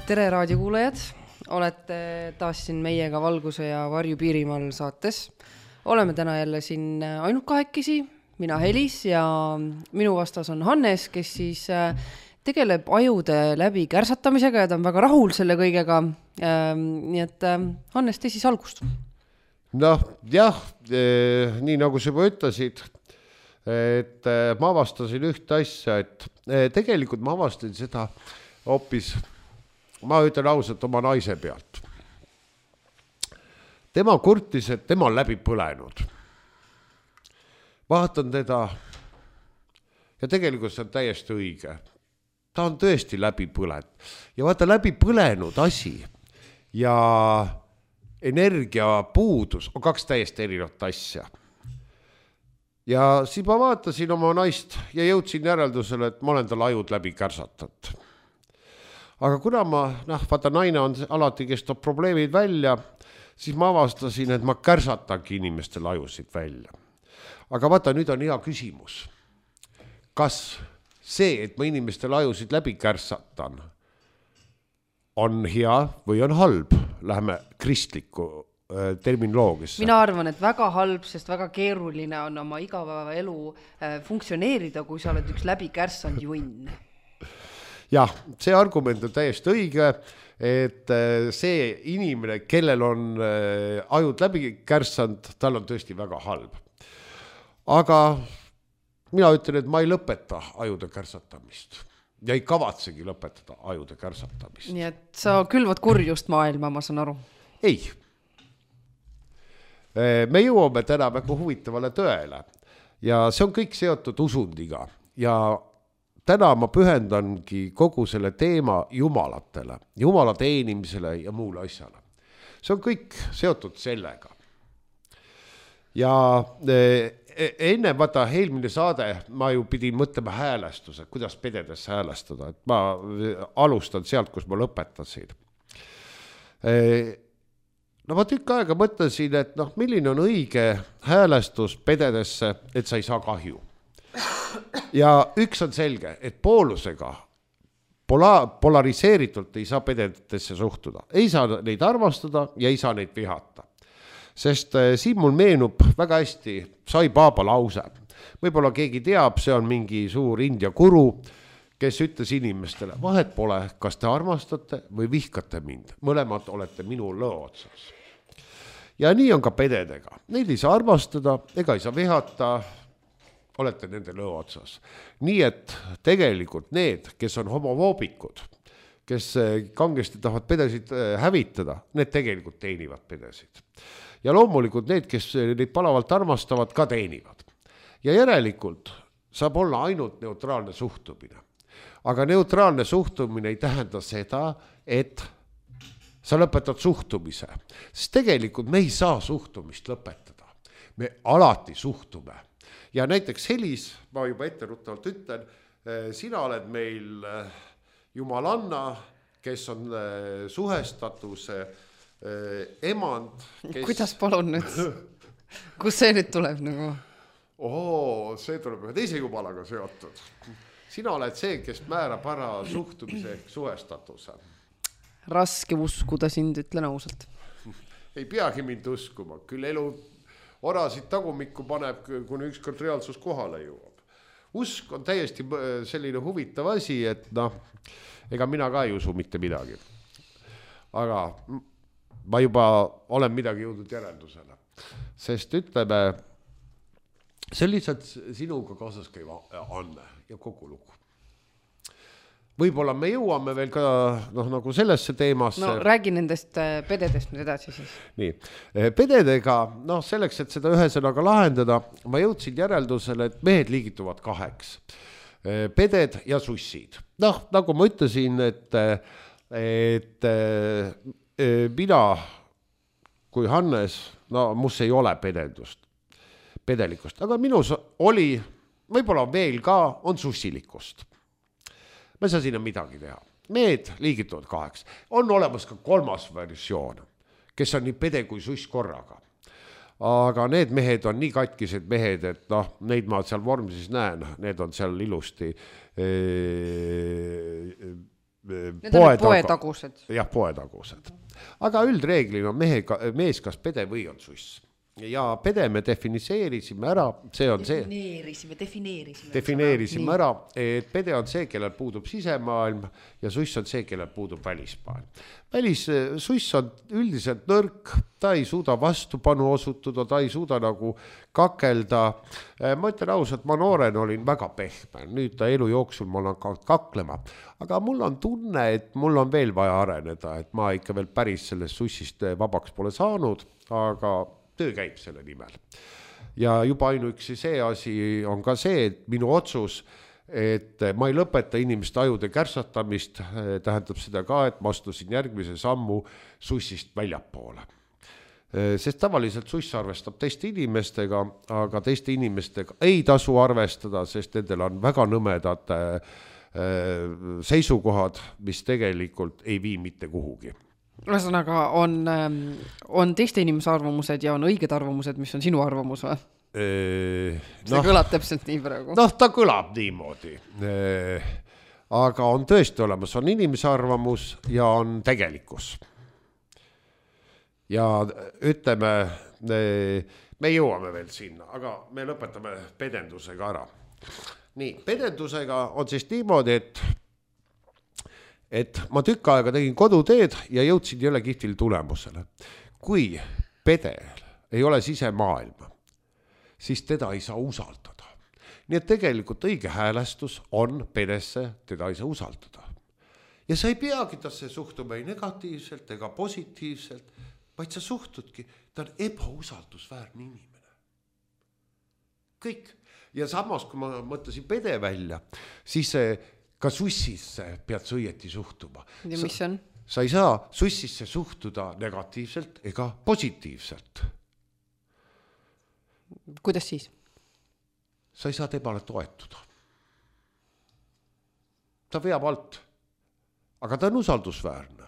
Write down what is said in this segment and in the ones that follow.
Tere raadiokuulajad, olete taas siin meiega Valguse ja Varju Piirimaal saates. Oleme täna jälle siin ainult kahekesi, mina Helis ja minu vastas on Hannes, kes siis tegeleb ajude läbi kärsatamisega ja ta on väga rahul selle kõigega. Nii et Hannes, tee siis algust. Noh, jah, nii nagu sa juba ütlesid, et ma avastasin ühte asja, et tegelikult ma avastasin seda hoopis, ma ütlen ausalt oma naise pealt. Tema kurtis, et tema on läbi põlenud. Vaatan teda ja tegelikult see on täiesti õige. Ta on tõesti läbi põlenud. Ja vaata läbi põlenud asi ja energia puudus on kaks täiesti erinevat asja. Ja siis ma vaatasin oma naist ja jõudsin järeldusele, et ma olen tal ajud läbi kärsatanud. Aga kuna vaata naine on alati, kes toob probleemid välja, siis ma avastasin, et ma kärsatangi inimestel ajusid välja. Aga vaata, nüüd on hea küsimus. Kas see, et ma inimestel ajusid läbi kärsatan, on hea või on halb? Läheme kristliku terminoloogisse. Mina arvan, et väga halb, sest väga keeruline on oma igapäeva elu funktsioneerida, kui sa oled üks läbi kärsanud junn. Jah, see argument on täiesti õige, et see inimene, kellel on ajud läbi kärsanud, tal on tõesti väga halb. Aga mina ütlen, et ma ei lõpeta ajude kärsatamist ja ei kavatsegi lõpetada ajude kärsatamist. Nii et sa külvad kurjust maailma, ma saan aru. Ei. Me jõuame täna väga huvitavale tõele ja see on kõik seotud usundiga ja täna ma pühendangi kogu selle teema jumalatele, jumala teenimisele ja muule asjale. See on kõik seotud sellega. Ja enne vaata eelmine saade ma ju pidin mõtlema häälestuse, kuidas pededes häälestada. Et ma alustan sealt, kus ma lõpetasin. Ma tükk aega mõtlesin, et milline on õige häälestus pededesse, et sa ei saa kahju. Ja üks on selge, et poolusega polariseeritult ei saa pededesse suhtuda. Ei saa neid armastada ja ei saa neid vihata. Sest siin mul meenub väga hästi Sai Baba lause. Võib-olla keegi teab, see on mingi suur India guru, kes ütles inimestele, vahet pole, kas te armastate või vihkate mind. Mõlemad olete minu lõo otsas. Ja nii on ka pededega. Neid ei saa armastada ega ei saa vihata, olete nende lõo otsas. Nii et tegelikult need, kes on homofoobikud, kes kangesti tahavad pedesid hävitada, need tegelikult teenivad pedesid. Ja loomulikult need, kes neid palavalt armastavad, ka teenivad. Ja järelikult saab olla ainult neutraalne suhtumine. Aga neutraalne suhtumine ei tähenda seda, et sa lõpetad suhtumise. Sest tegelikult me ei saa suhtumist lõpetada. Me alati suhtume. Ja näiteks Helis, ma juba etteruttavalt ütlen, sina oled meil jumalanna, kes on suhestatuse emand. Kuidas palun nüüd? Kus see nüüd tuleb nagu? See tuleb ühe teise jumalaga seotud. Sina oled see, kes määrab ära suhtumise ehk suhestatuse. Raske uskuda sind, ütlen ausalt. Ei peagi mind uskuma, küll elu orasid tagumikku paneb, kuni ükskord reaalsus kohale jõuab. Usk on täiesti selline huvitav asi, et ega mina ka ei usu mitte midagi. Aga ma juba olen midagi jõudnud järeldusele. Sest ütleme, see on lihtsalt sinuga kaasas käiva anne ja kogu lugu. Võib-olla me jõuame veel ka nagu sellesse teemasse. Räägi nendest pededest nüüd edasi siis. Nii, pededega, selleks, et seda ühesõnaga lahendada, ma jõudsin järeldusele, et mehed liigituvad kaheks. Peded ja sussid. Nagu ma ütlesin, et mina kui Hannes, mus ei ole pedelikust, aga minus oli, võib-olla veel ka, on sussilikust. Ma ei saa sinna midagi teha. Mehed liigituvad kaheks. On olemas ka kolmas versioon, kes on nii pede kui suss korraga. Aga need mehed on nii katkised mehed, et neid ma seal vormises näen, need on seal ilusti Need on poetagused. Jah, poetagused. Aga üldreeglina mees kas pede või on suss. Ja pede me defineerisime ära, see on defineerisime ära, et pede on see, kellel puudub sisemaailm ja suss on see, kellel puudub välismaailm. Suss on üldiselt nõrk, ta ei suuda vastupanu osutuda, ta ei suuda nagu kakelda. Ma ütlen ausalt, ma nooren olin väga pehme, nüüd ta elu jooksul ma olen kaklema, aga mul on tunne, et mul on veel vaja areneda, et ma ikka veel päris sellest sussist vabaks pole saanud, aga töö käib selle nimel. Ja juba ainuüksi see asi on ka see, et minu otsus, et ma ei lõpeta inimeste ajude kärsatamist, tähendab seda ka, et ma astusin järgmise sammu sussist väljapoole. Sest tavaliselt suss arvestab teiste inimestega, aga teiste inimestega ei tasu arvestada, sest nendel on väga nõmedad seisukohad, mis tegelikult ei vii mitte kuhugi. Ühesõnaga on teiste inimese arvamused ja on õiged arvamused, mis on sinu arvamus või? See kõlab täpselt nii praegu. Ta kõlab niimoodi. Aga on tõesti olemas, on inimese arvamus ja on tegelikkus. Ja ütleme, me jõuame veel sinna, aga me lõpetame pedendusega ära. Nii, pedendusega on siis niimoodi, et ma tükk aega tegin koduteed ja jõudsin jälle kihvtil tulemusele. Kui pedel ei ole sisemaailma, siis teda ei saa usaldada. Nii et tegelikult õige häälestus on pedesse, teda ei saa usaldada. Ja sa ei peagi tasse suhtuma ei negatiivselt ega positiivselt, vaid sa suhtudki, ta on ebausaldusväärne inimene. Kõik. Ja samas, kui ma mõtlesin pede välja, siis ka sussisse pead sa õieti suhtuma. Ja mis on? Sa ei saa sussisse suhtuda negatiivselt ega positiivselt. Kuidas siis? Sa ei saa temale toetuda. Ta veab alt, aga ta on usaldusväärne.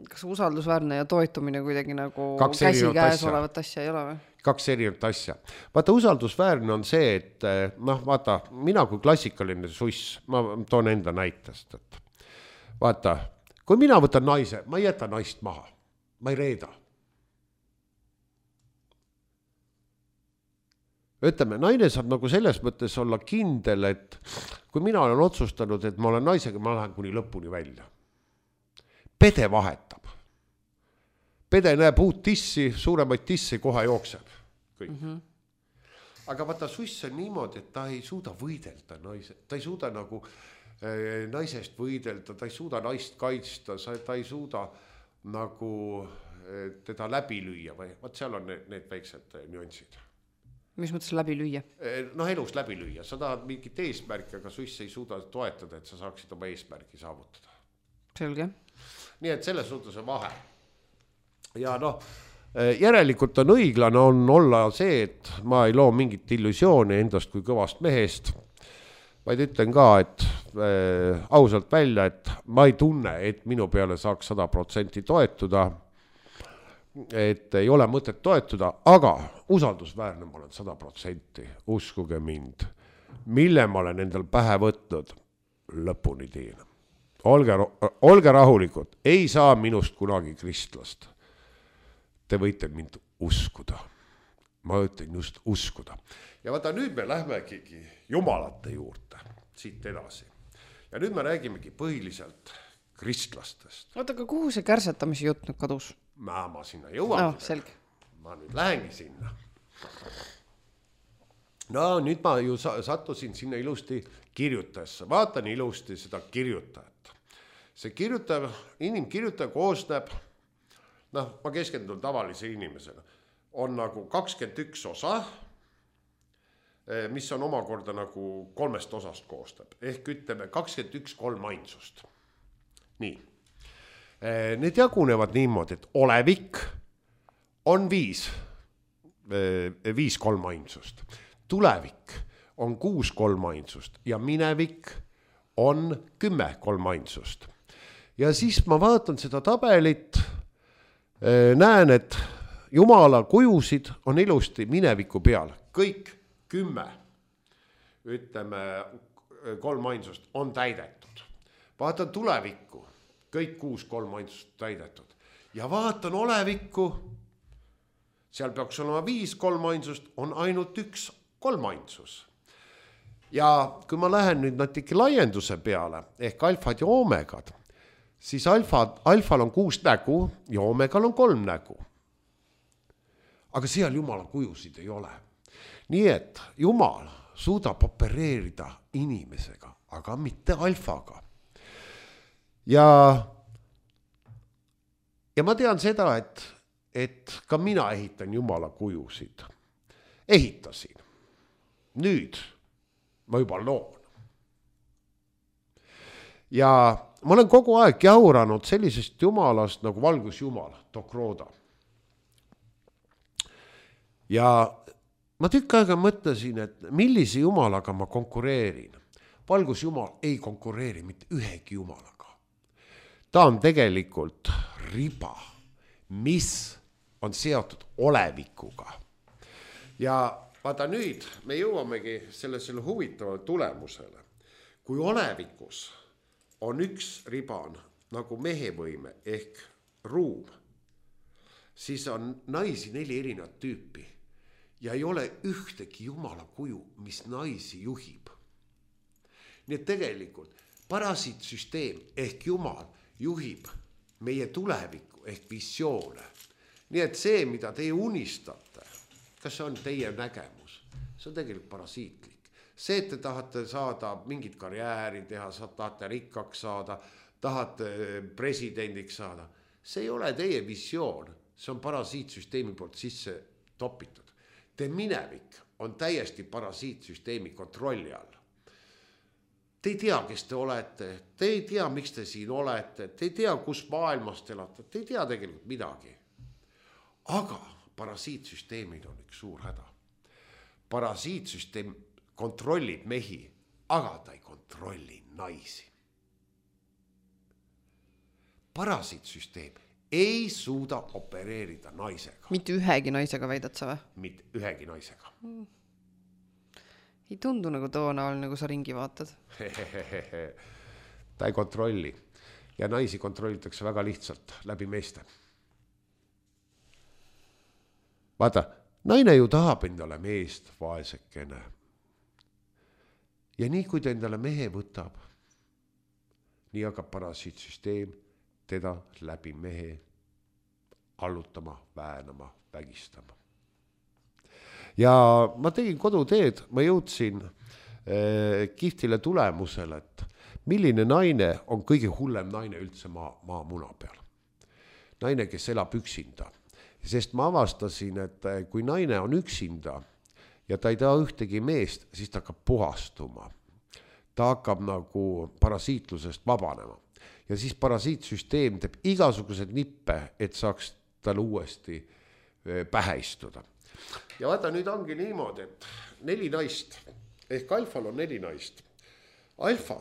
Kas usaldusväärne ja toetumine kuidagi nagu käsi käes olevat asja ei ole või? Kaks erinevat asja. Vaata, usaldusväärne on see, et vaata, mina kui klassikaline suss, ma toon enda näitest, et vaata, kui mina võtan naise, ma ei jäta naist maha, ma ei reeda. Ütleme, naine saab nagu selles mõttes olla kindel, et kui mina olen otsustanud, et ma olen naisega, ma lähen kuni lõpuni välja. Pede vahetab. Pede näeb uut tissi, suuremaid tissi kohe jookseb. Kõik. Aga vaata, suss on niimoodi, et ta ei suuda võidelda naise. Ta ei suuda nagu naisest võidelda, ta ei suuda naist kaitsta, ta ei suuda nagu teda läbi lüüa. Vaat seal on need väiksed nüansid. Mis mõttes läbi lüüa? Elus läbi lüüa. Sa tahad mingit eesmärki, aga suss ei suuda toetada, et sa saaksid oma eesmärki saavutada. Selge. Nii et selles suhtes on vahe. Ja järelikult on õiglane on olla see, et ma ei loo mingit illusiooni endast kui kõvast mehest, vaid ütlen ka, et ausalt välja, et ma ei tunne, et minu peale saaks 100% toetuda, et ei ole mõtet toetuda, aga usaldusväärne ma olen 100%, uskuge mind, mille ma olen endal pähe võtnud, lõpuni tiin. Olge rahulikud, ei saa minust kunagi kristlast. Te võite mind uskuda. Ma ütlen just uskuda. Ja vaata, nüüd me lähmegi jumalate juurde siit edasi. Ja nüüd me räägimegi põhiliselt kristlastest. Oota, aga kuhu see kärsetamise jutt nüüd kadus? Ma sinna jõuan. Selge. Ma nüüd lähengi sinna. No nüüd ma ju sattusin sinna ilusti kirjutajasse. Vaatan ilusti seda kirjutajat. See inimkirjutaja koosneb, ma keskendun tavalise inimesena, on nagu 21 osa, mis on omakorda nagu 3 osast koostab. Ehk ütleme 21 kolmainsust. Nii. Need jagunevad niimoodi, et olevik on 5 kolmainsust. Tulevik on 6 kolmainsust ja minevik on 10 kolmainsust. Ja siis ma vaatan seda tabelit, näen, et Jumala kujusid on ilusti mineviku peal. Kõik 10, ütleme, kolmainsust on täidetud. vaatan tulevikku, kõik 6 kolmainsust täidetud ja vaatan olevikku, seal peaks olema 5 kolmainsust, on ainult 1 kolmainsus. Ja kui ma lähen nüüd natuke laienduse peale ehk alfad ja oomegad, siis alfal on 6 nägu ja oomegal on 3 nägu. Aga seal Jumala kujusid ei ole. Nii et Jumal suudab opereerida inimesega, aga mitte alfaga. Ja ma tean seda, et ka mina ehitan Jumala kujusid. Ehitasin. Nüüd ma juba loon. Ja ma olen kogu aeg jauranud sellisest Jumalast nagu valgusjumal, Tokroda. Ja ma tükk aega mõtlesin, et millise Jumalaga ma konkureerin. Valgusjumal ei konkureeri mitte ühegi Jumalaga. Ta on tegelikult riba, mis on seotud olevikuga. Ja vaata nüüd me jõuamegi selle huvitavale tulemusele. Kui olevikus on üks riban nagu mehevõime ehk ruum, siis on naisi 4 erinevat tüüpi ja ei ole ühtegi Jumala kuju, mis naisi juhib. Nii et tegelikult parasiitsüsteem ehk Jumal juhib meie tulevikku ehk visioone. Nii et see, mida teie unistate, kas see on teie nägemus, see on tegelikult parasiitlik. See, et te tahate saada mingit karjääri teha, tahate rikkaks saada, tahate presidendiks saada, see ei ole teie visioon, see on parasiitsüsteemi poolt sisse topitud. Te minevik on täiesti parasiitsüsteemi kontrolli all. Te ei tea, kes te olete, te ei tea, miks te siin olete, te ei tea, kus maailmas te elate, te ei tea tegelikult midagi. Aga parasiitsüsteemid on üks suur häda. Parasiitsüsteem kontrollib mehi, aga ta ei kontrolli naisi. Parasiitsüsteem ei suuda opereerida naisega. Mitte ühegi naisega väidad sa või? Mitte ühegi naisega. Ei tundu nagu toona all, nagu sa ringi vaatad. Ta ei kontrolli. Ja naisi kontrollitakse väga lihtsalt läbi meeste. Vaata, naine ju tahab endale meest vaesekene. Ja nii kui ta endale mehe võtab, nii hakkab parasiitsüsteem teda läbi mehe allutama, väänama, vägistama. Ja ma tegin koduteed, ma jõudsin kihvtile tulemusele, et milline naine on kõige hullem naine üldse maamuna peal. Naine, kes elab üksinda. Sest ma avastasin, et kui naine on üksinda ja ta ei taha ühtegi meest, siis ta hakkab puhastuma. Ta hakkab nagu parasiitlusest vabanema. Ja siis parasiitsüsteem teeb igasugused nippe, et saaks tal uuesti pähe istuda. Ja vaata, nüüd ongi niimoodi, et 4 naist, ehk alfal on 4 naist. Alfa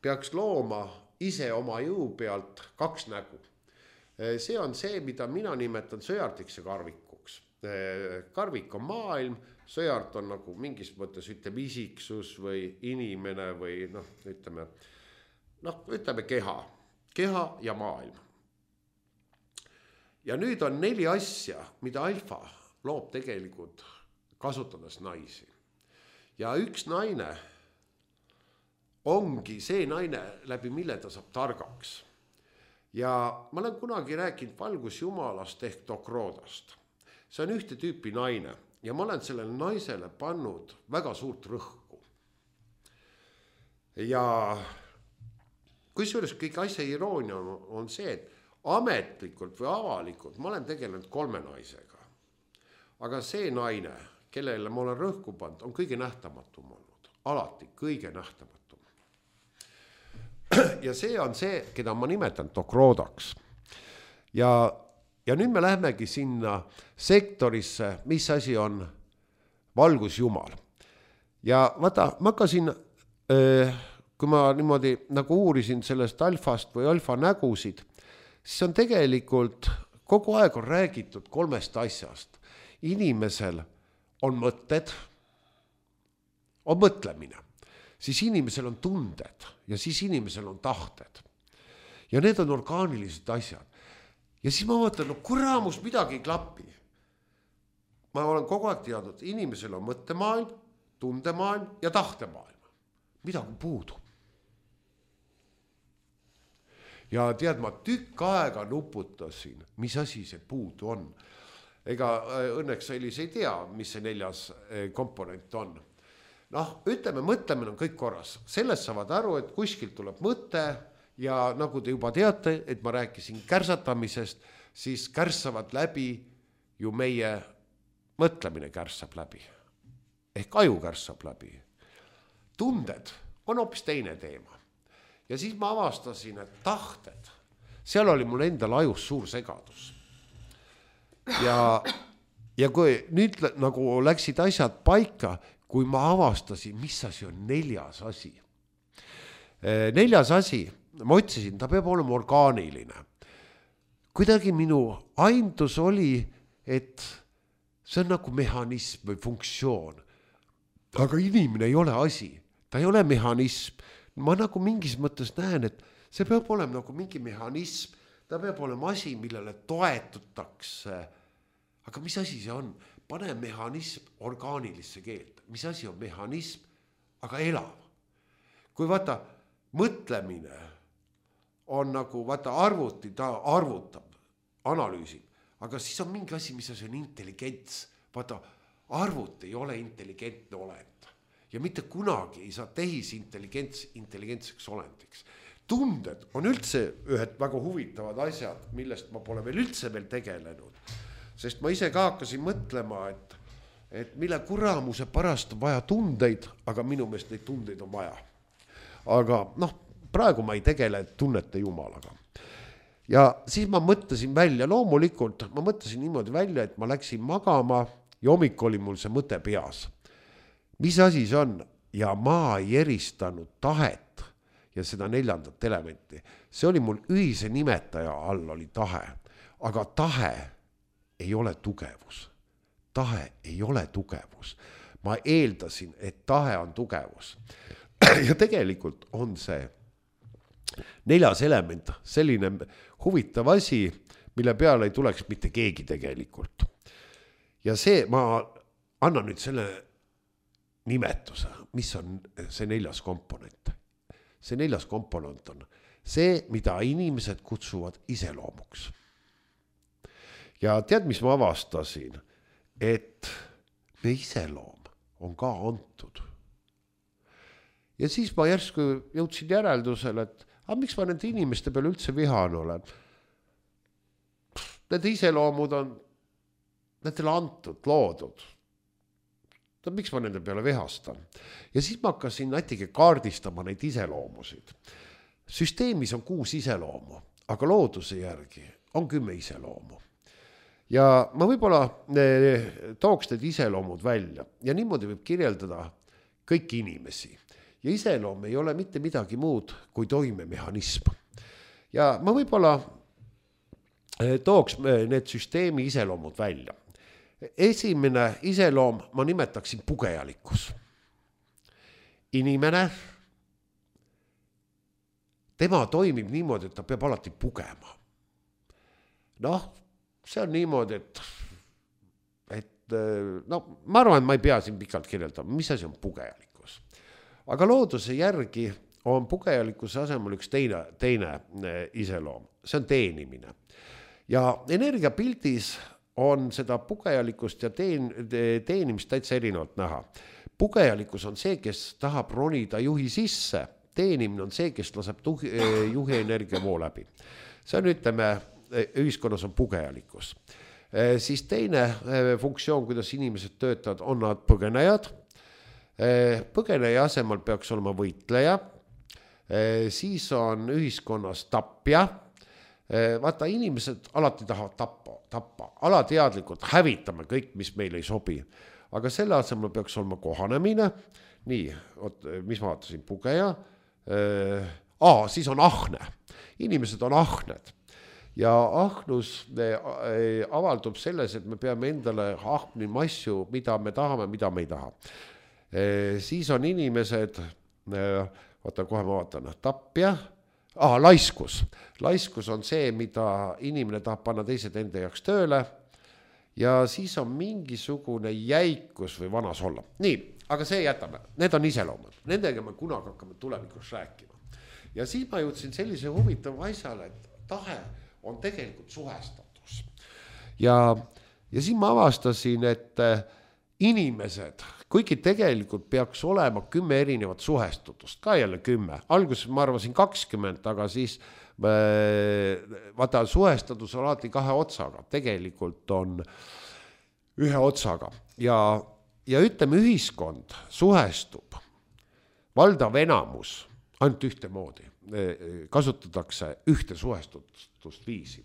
peaks looma ise oma jõu pealt 2 nägu. See on see, mida mina nimetan sõjartiks ja karvikuks. Karvik on maailm, sõjart on nagu mingis mõttes ütleme isiksus või inimene või ütleme keha ja maailm. Ja nüüd on 4 asja, mida alfa loob tegelikult kasutades naisi. Ja üks naine ongi see naine, läbi mille ta saab targaks. Ja ma olen kunagi rääkinud valgusjumalast ehk Tokrodast. See on ühte tüüpi naine ja ma olen sellele naisele pannud väga suurt rõhku. Ja kusjuures kõik asja iroonia on see, et ametlikult või avalikult ma olen tegelenud 3 naisega. Aga see naine, kellele ma olen rõhku pannud, on kõige nähtamatum olnud. Alati kõige nähtamatum. Ja see on see, keda ma nimetan Tokrodaks. Ja nüüd me lähemegi sinna sektorisse, mis asi on valgusjumal. Ja vaata, ma hakkasin, kui ma niimoodi nagu uurisin sellest alfast või alfa nägusid, siis on tegelikult kogu aeg on räägitud 3 asjast. Inimesel on mõtted, on mõtlemine. siis inimesel on tunded ja siis inimesel on tahted. Ja need on orgaanilised asjad. Ja siis ma mõtlen, no kuramus midagi ei klapi. Ma olen kogu aeg teadnud, inimesel on mõttemaailm, tundemaailm ja tahtemaailm. Midagi puudu. Ja tead, ma tükk aega nuputasin, mis asi see puudu on. Ega õnneks Elis ei tea, mis see 4. komponent on. Noh, ütleme, mõtlemine on kõik korras. Sellest saavad aru, et kuskilt tuleb mõte ja nagu te juba teate, et ma rääkisin kärsatamisest, siis kärssavad läbi ju meie mõtlemine kärssab läbi. Ehk aju kärssab läbi. Tunded on hoopis teine teema. Ja siis ma avastasin, et tahted, seal oli mul endal ajus suur segadus. Ja kui nüüd nagu läksid asjad paika, kui ma avastasin, mis asi on 4. asi. 4. asi, ma otsisin, ta peab olema orgaaniline. Kuidagi minu aimdus oli, et see on nagu mehhanism või funktsioon. Aga inimene ei ole asi, ta ei ole mehhanism. Ma nagu mingis mõttes näen, et see peab olema nagu mingi mehhanism, ta peab olema asi, millele toetutakse. Aga mis asi see on? Pane mehhanism orgaanilisse keelt. Mis asi on mehhanism, aga elav? Kui vaata, mõtlemine on nagu, vaata arvuti, ta arvutab, analüüsib, aga siis on mingi asi, mis asi on intelligents. Vaata, arvut ei ole intelligentne olend. Ja mitte kunagi ei saa intelligentseks olendiks. Tunded on üldse ühed väga huvitavad asjad, millest ma pole veel üldse veel tegelenud. Sest ma ise ka hakkasin mõtlema, et mille kuramuse pärast on vaja tundeid, aga minu meelest neid tundeid on vaja. Aga noh, praegu ma ei tegele tunnete jumalaga. Ja siis ma mõtlesin välja, loomulikult ma mõtlesin niimoodi välja, et ma läksin magama ja hommik oli mul see mõte peas. Mis asi see on? Ja ma ei eristanud tahet ja seda 4. elementi. See oli mul ühise nimetaja all oli tahe. Aga tahe ei ole tugevus. Tahe ei ole tugevus. Ma eeldasin, et tahe on tugevus. Ja tegelikult on see 4. element selline huvitav asi, mille peale ei tuleks mitte keegi tegelikult. Ja see, ma annan nüüd selle nimetuse, mis on see 4. komponent. See 4. komponent on see, mida inimesed kutsuvad iseloomuks. Ja tead, mis ma avastasin? Et me iseloom on ka antud. Ja siis ma järsku jõudsin järeldusele, et miks ma nende inimeste peale üldse vihan olen? Need iseloomud on nendele antud, loodud. Miks ma nende peale vihastan? Ja siis ma hakkasin natuke kaardistama neid iseloomusid. Süsteemis on 6 iseloomu, aga looduse järgi on 10 iseloomu. Ja ma võib-olla tooks need iseloomud välja ja niimoodi võib kirjeldada kõiki inimesi. Ja iseloom ei ole mitte midagi muud kui toimemehhanism. Ja ma võib-olla tooks need süsteemi iseloomud välja. Esimene iseloom ma nimetaksin pugejalikkus. Inimene, tema toimib niimoodi, et ta peab alati pugema. Noh, see on niimoodi, et no, ma arvan, et ma ei pea siin pikalt kirjeldama, mis asi on pugejalikkus. Aga looduse järgi on pugejalikkuse asemel üks teine iseloom. See on teenimine. Ja energiapildis on seda pugejalikkust ja teenimist täitsa erinevalt näha. Pugejalikkus on see, kes tahab ronida juhi sisse. Teenimine on see, kes laseb juhi energiavoo läbi. See on, ütleme, ühiskonnas on pugejalikkus. Siis teine funktsioon, kuidas inimesed töötavad, on nad põgenejad. Põgeneja asemel peaks olema võitleja. Siis on ühiskonnas tapja. Vaata, inimesed alati tahavad tappa. Alateadlikult hävitame kõik, mis meil ei sobi. Aga selle asemel peaks olema kohanemine. Nii, mis ma vaatasin, pugeja. Siis on ahne. Inimesed on ahned. Ja ahnus avaldub selles, et me peame endale ahnima asju, mida me tahame, mida me ei taha. Siis on inimesed, vaata kohe ma vaatan, tapja, laiskus. Laiskus on see, mida inimene tahab panna teised enda jaoks tööle ja siis on mingisugune jäikus või vanas olla. Nii, aga see jätame, need on iseloomad, nendega me kunagi hakkame tulevikus rääkima. Ja siis ma jõudsin sellise huvitava asjale, et tahe on tegelikult suhestatus. Ja siis ma avastasin, et inimesed, kuigi tegelikult peaks olema 10 erinevat suhestutust, ka jälle 10. Alguses ma arvasin 20, aga siis vaata suhestatus on alati 2 otsaga, tegelikult on 1 otsaga. Ja ütleme, ühiskond suhestub, valdav enamus, ainult ühtemoodi, kasutatakse ühte suhestusviisi.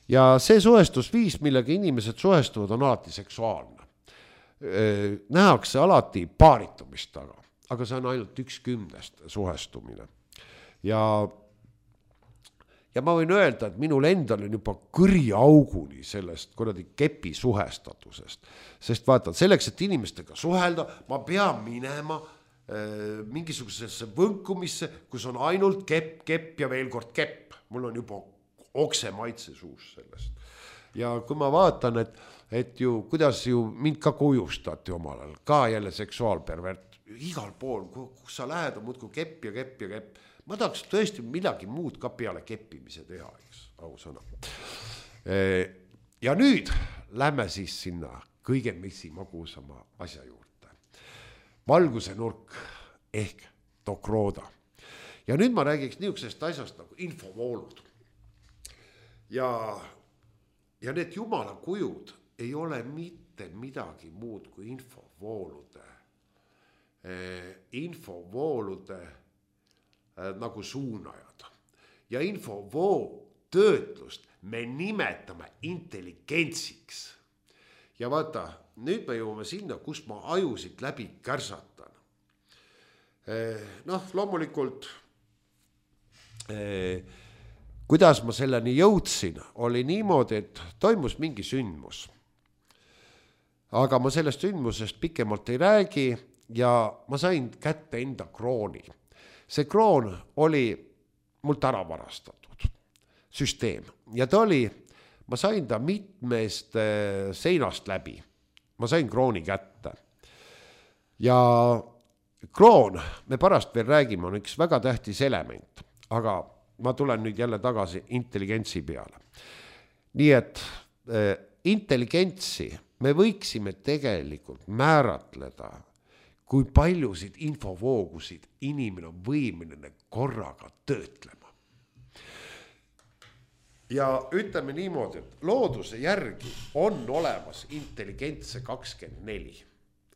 Ja see suhestusviis, millega inimesed suhestuvad, on alati seksuaalne. Nähakse alati paaritumist taga, aga see on ainult 1/10 suhestumine. Ja ma võin öelda, et minul endal on juba kõriauguni sellest kuradi kepi suhestatusest. Sest vaata, selleks, et inimestega suhelda, ma pean minema mingisugusesse võnkumisse, kus on ainult kepp ja veel kord kepp. Mul on juba okse maitse suus sellest. Ja kui ma vaatan, et ju, kuidas ju mind ka kujustati omal ajal, ka jälle seksuaalpervert, igal pool, kus sa lähed, on muudku kepp ja kepp ja kepp. Ma tahaks tõesti midagi muud ka peale keppimise teha, eks, ausõna. Ja nüüd lähme siis sinna kõige magusama asja juurde. Valguse nurk ehk dokrooda. Ja nüüd ma räägiks niisugusest asjast nagu infovoolud. Ja need jumala kujud ei ole mitte midagi muud kui infovoolude nagu suunajad. Ja infovoo töötlust me nimetame intelligentsiks. Ja vaata, nüüd me jõuame sinna, kus ma ajusid läbi kärsatan. Loomulikult, kuidas ma selleni jõudsin, oli niimoodi, et toimus mingi sündmus. Aga ma sellest sündmusest pikemalt ei räägi ja ma sain kätte enda krooni. See kroon oli mult ära varastatud süsteem ja ta oli, ma sain ta mitmest seinast läbi. Ma sain krooni kätte. Ja kroon, me pärast veel räägime, on üks väga tähtis element, aga ma tulen nüüd jälle tagasi intelligentsi peale. Nii et intelligentsi me võiksime tegelikult määratleda, kui paljusid infovoogusid inimene on võimeline korraga töötlema. Ja ütleme niimoodi, et looduse järgi on olemas intelligentse 24,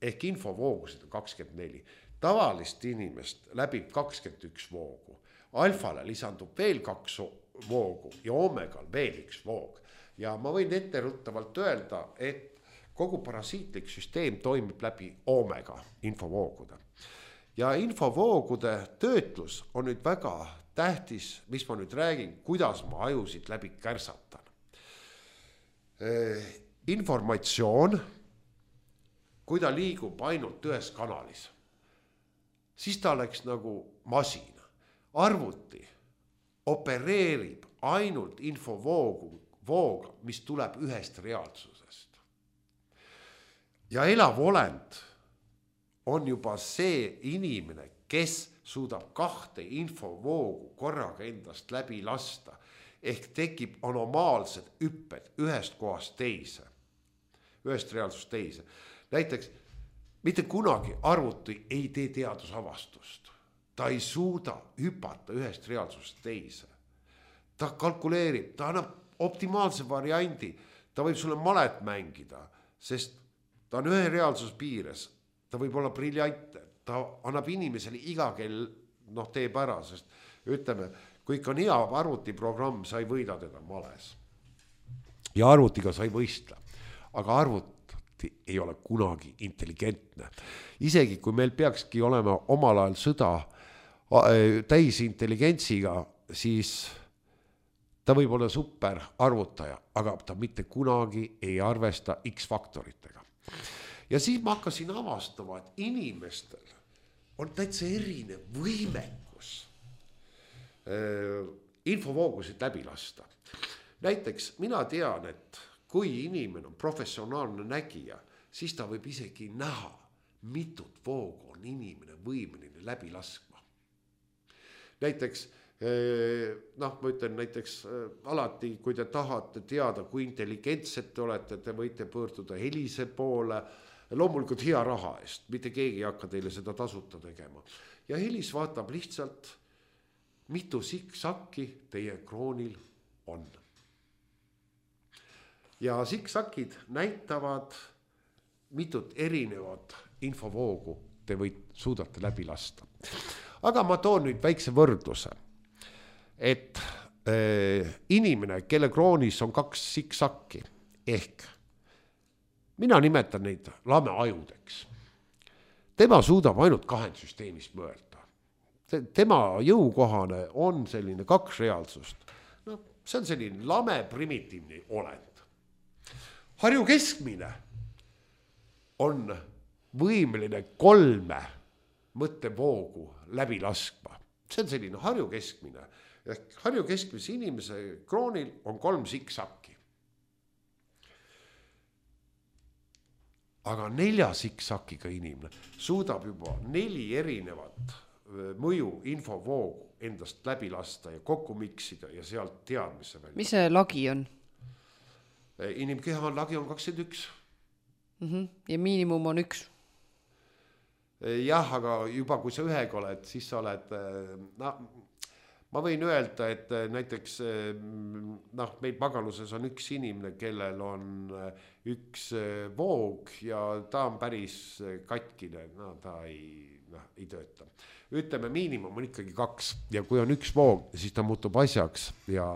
ehk infovoogusid on 24. Tavalist inimest läbib 21 voogu. Alfale lisandub veel 2 voogu ja omegal veel 1 voog. Ja ma võin etteruttavalt öelda, et kogu parasiitlik süsteem toimib läbi omega infovoogude. Ja infovoogude töötlus on nüüd väga tähtis, mis ma nüüd räägin, kuidas ma ajusid läbi kärsatan. Informatsioon, kui ta liigub ainult ühes kanalis, siis ta oleks nagu masin. Arvuti opereerib ainult infovooga, mis tuleb ühest reaalsusest. Ja elav olend on juba see inimene, kes suudab 2 infovoogu korraga endast läbi lasta, ehk tekib anomaalsed hüpped ühest kohast teise, ühest reaalsust teise. Näiteks, mitte kunagi arvuti ei tee teadusavastust. Ta ei suuda hüpata ühest reaalsusest teise. Ta kalkuleerib, ta annab optimaalse variandi, ta võib sulle malet mängida, sest ta on ühe reaalsus piires, ta võib olla briljante, ta annab inimesele iga kell teeb ära, sest ütleme, kui ikka on hea arvutiprogramm, sa ei võida teda males. Ja arvutiga sa ei võistle, aga arvuti ei ole kunagi intelligentne. Isegi kui meil peakski olema omal ajal sõda täis intelligentsiga, siis ta võib olla super arvutaja, aga ta mitte kunagi ei arvesta X-faktoritega. Ja siis ma hakkasin avastama, et inimestel on täitsa erinev võimekus infovoogusid läbi lasta. Näiteks mina tean, et kui inimene on professionaalne nägija, siis ta võib isegi näha, mitut voogu on inimene võimeline läbi laskma. Näiteks, noh, ma ütlen näiteks alati, kui te tahate teada, kui intelligentsed te olete, te võite pöörduda Helise poole, loomulikult hea raha eest, mitte keegi ei hakka teile seda tasuta tegema. Ja Helis vaatab lihtsalt, mitu siksakki teie kroonil on. Ja siksakid näitavad mitut erinevat infovoogu te suudate läbi lasta. Aga ma toon nüüd väikse võrdluse, et inimene, kelle kroonis on 2 siksakki, ehk mina nimetan neid lameajudeks. Tema suudab ainult 2 süsteemis mõelda. Tema jõukohane on selline 2 reaalsust. No, see on selline lame primitiivne olend. Harju keskmine on võimeline 3 mõttevoogu läbi laskma. See on selline Harju keskmine. Harju keskmise inimese kroonil on 3 siksakki. Aga 4 siksakiga inimene suudab juba 4 erinevat mõju infovoogu endast läbi lasta ja kokku miksida ja sealt teadmise välja. Mis see lagi on? Inimkeha lagi on 21. Ja miinimum on 1. Jah, aga juba kui sa ühega oled, siis sa oled, ma võin öelda, et näiteks meil Pagaluses on 1 inimene, kellel on 1 voog ja ta on päris katkine, ta ei tööta. Ütleme, miinimum on ikkagi 2 ja kui on 1 voog, siis ta muutub asjaks ja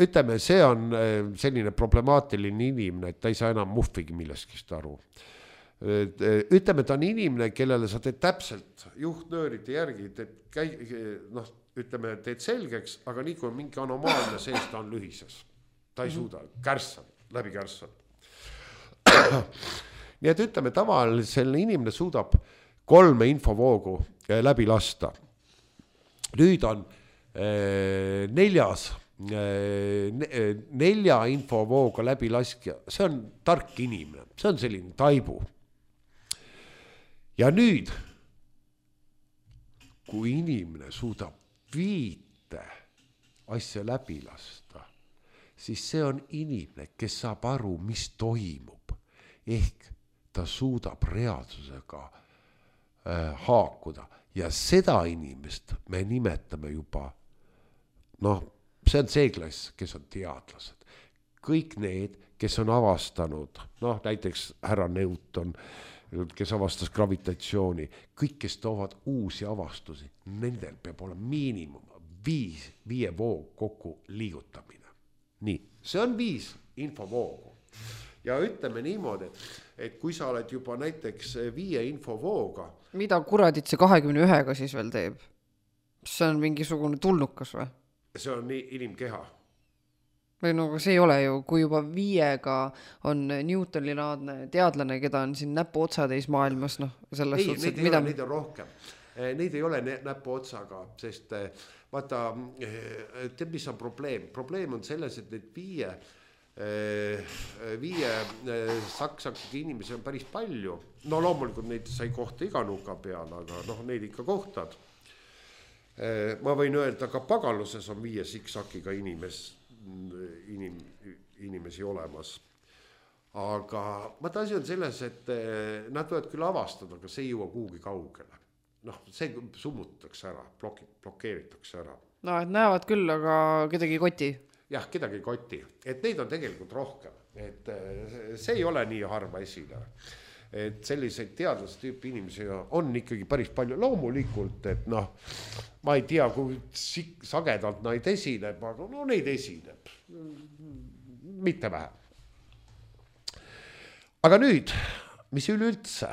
ütleme, see on selline problemaatiline inimene, et ta ei saa enam muhvigi milleskist aru. Ütleme, ta on inimene, kellele sa teed täpselt juhtnöörite järgi, ütleme, teed selgeks, aga nii kui on mingi anomaalne sees, ta on lühises. Ta ei suuda, läbi kärssab. Nii et ütleme, tavalisel inimene suudab 3 infovoogu läbi lasta. Nüüd on 4 infovooga läbi laskja, see on tark inimene, see on selline taibu. Ja nüüd, kui inimene suudab 5 asja läbi lasta, siis see on inimene, kes saab aru, mis toimub. Ehk ta suudab reaalsusega haakuda ja seda inimest me nimetame juba, see on see klass, kes on teadlased. Kõik need, kes on avastanud, näiteks härra Newton, kes avastas gravitatsiooni, kõik, kes toovad uusi avastusi, nendel peab olema miinimum 5 voog kokku liigutamine. Nii, see on 5 infovoogu. Ja ütleme niimoodi, et kui sa oled juba näiteks 5 infovooga. Mida kuradit see 21-ga siis veel teeb? See on mingisugune tulnukas või? See on inimkeha. Või see ei ole ju, kui juba 5-ga on Newtoni-laadne teadlane, keda on siin näpu otsadeis maailmas, selles suhtes, et mida... Neid on rohkem. Neid ei ole näpu otsaga, sest vaata, tead, mis on probleem? Probleem on selles, et need 5 saksakiga inimesi on päris palju. Loomulikult neid sai kohta iga nuka peal, aga neid ikka kohtad. Ma võin öelda, ka Pagaluses on 5 siksakiga inimesi olemas. Aga asi on selles, et nad võivad küll avastada, aga see ei jõua kuhugi kaugele. See summutatakse ära, blokeeritakse ära. Et näevad küll, aga kedagi ei koti. Jah, kedagi ei koti. Et neid on tegelikult rohkem. Et see ei ole nii harva esile. Et selliseid teadlase tüüpi inimesi on ikkagi päris palju. Loomulikult, et ma ei tea, kui sagedalt neid esineb, aga neid esineb. Mitte vähe. Aga nüüd, mis üleüldse,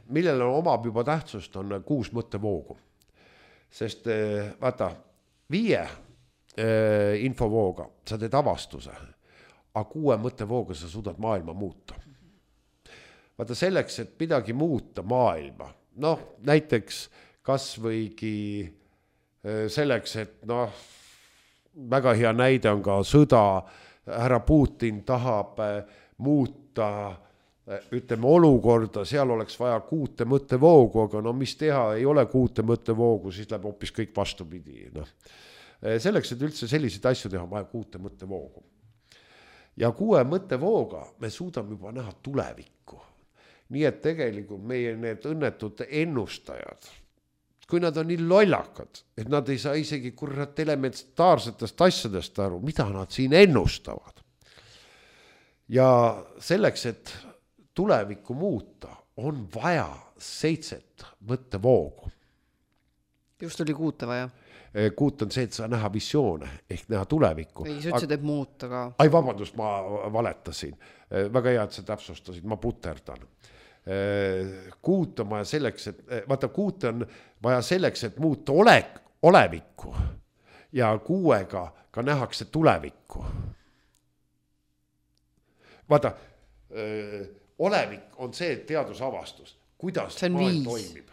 millele omab juba tähtsust, on 6 mõttevoogu. Sest vaata, 5 infovooga sa teed avastuse, aga 6 mõttevooga sa suudad maailma muuta. vaata selleks, et midagi muuta maailma, noh, näiteks kas võigi selleks, et noh, väga hea näide on ka sõda, härra Putin tahab muuta, ütleme, olukorda, seal oleks vaja 6 mõttevoogu, aga no mis teha, ei ole 6 mõttevoogu, siis läheb hoopis kõik vastupidi. No. Selleks, et üldse selliseid asju teha, on vaja 6 mõttevoogu. Ja 6 mõttevooga me suudame juba näha tulevikku. Nii et tegelikult meie need õnnetud ennustajad, kui nad on nii lollakad, et nad ei saa isegi kurat elementaarsetest asjadest aru, mida nad siin ennustavad. Ja selleks, et tulevikku muuta, on vaja 7 mõttevoogu. Just oli 6 vaja. 6 on see, et sa näha visioone ehk näha tulevikku. Ei, sa ütlesid, et muuta ka. Ai, vabandust, ma valetasin. Väga hea, et sa täpsustasid, ma puterdan. 6 on vaja selleks, et vaata 6 on vaja selleks, et muuta olevikku ja 6-ga ka nähakse tulevikku. Vaata, olevik on see teadusavastus, kuidas maailm toimib.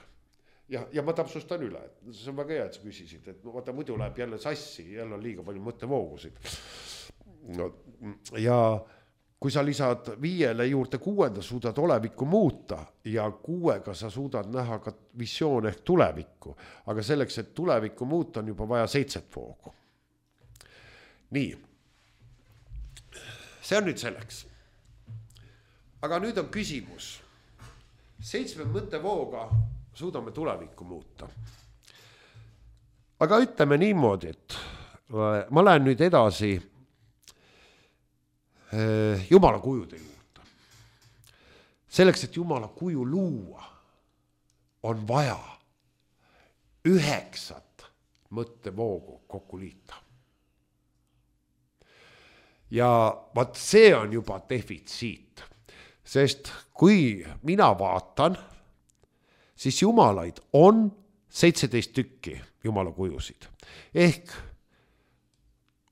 Ja ma täpsustan üle, et see on väga hea, et sa küsisid, et vaata muidu läheb jälle sassi, jälle on liiga palju mõttevoogusid. No, ja kui sa lisad 5 juurde 6, suudad olevikku muuta ja 6-ga sa suudad näha ka visioon ehk tulevikku. Aga selleks, et tulevikku muuta, on juba vaja 7 voogu. Nii. See on nüüd selleks. Aga nüüd on küsimus. 7 mõttevooga suudame tulevikku muuta. Aga ütleme niimoodi, et ma lähen nüüd edasi Jumala kujude juurde. Selleks, et Jumala kuju luua, on vaja 9 mõttevoogu kokku liita. Ja vaat see on juba defitsiit, sest kui mina vaatan, siis jumalaid on 17 tükki Jumala kujusid. Ehk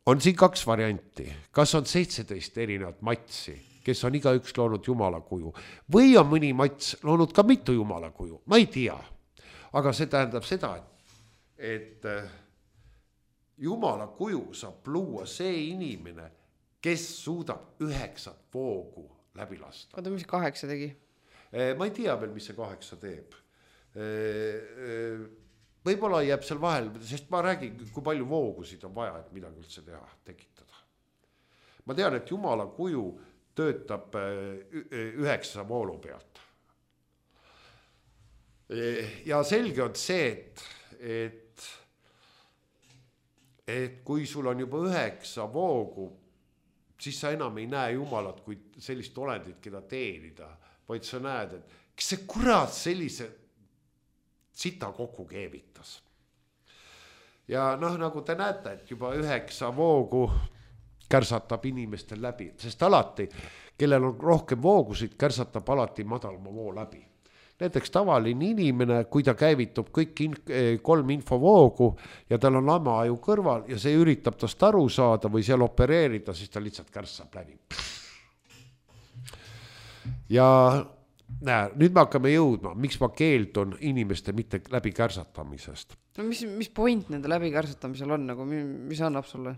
on siin 2 varianti, kas on 17 erinevat matsi, kes on igaüks loonud Jumala kuju, või on mõni mats loonud ka mitu Jumala kuju, ma ei tea. Aga see tähendab seda, et Jumala kuju saab luua see inimene, kes suudab 9 voogu läbi lasta. Oota, mis 8 tegi? Ma ei tea veel, mis see 8 teeb. Võib-olla jääb seal vahel, sest ma räägin, kui palju voogusid on vaja, et midagi üldse teha, tekitada. Ma tean, et Jumala kuju töötab 9 voolu pealt. Ja selge on see, et kui sul on juba 9 voogu, siis sa enam ei näe Jumalat kui sellist olendit, keda teenida, vaid sa näed, et kes see kurat sellise sita kokku keevitas. Ja noh, nagu te näete, et juba 9 voogu kärsatab inimestel läbi, sest alati, kellel on rohkem voogusid, kärsatab alati madalama voo läbi. Näiteks tavaline inimene, kui ta käivitub kõik 3 infovoogu ja tal on lamaaju kõrval ja see üritab tast aru saada või seal opereerida, siis ta lihtsalt kärsab läbi. Ja näe, nüüd me hakkame jõudma, miks ma keeldun inimeste mitte läbi kärsatamisest. No mis point nende läbi kärsatamisel on, nagu mis annab sulle?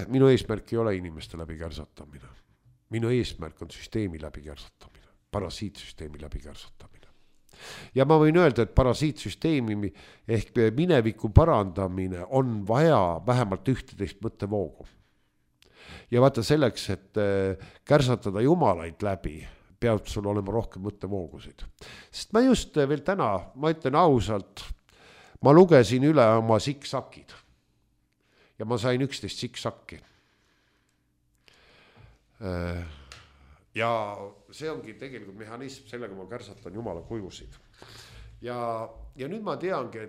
Minu eesmärk ei ole inimeste läbi kärsatamine. Minu eesmärk on süsteemi läbi kärsatamine, parasiitsüsteemi läbi kärsatamine. Ja ma võin öelda, et parasiitsüsteemi ehk mineviku parandamine on vaja vähemalt 11 mõttevoogu. Ja vaata selleks, et kärsatada jumalaid läbi, peab sul olema rohkem mõttevoogusid. Sest ma just veel täna, ma ütlen ausalt, ma lugesin üle oma siksakid ja ma sain 11 siksakki. Ja see ongi tegelikult mehhanism, sellega ma kärsatan Jumala kujusid. Ja nüüd ma teangi,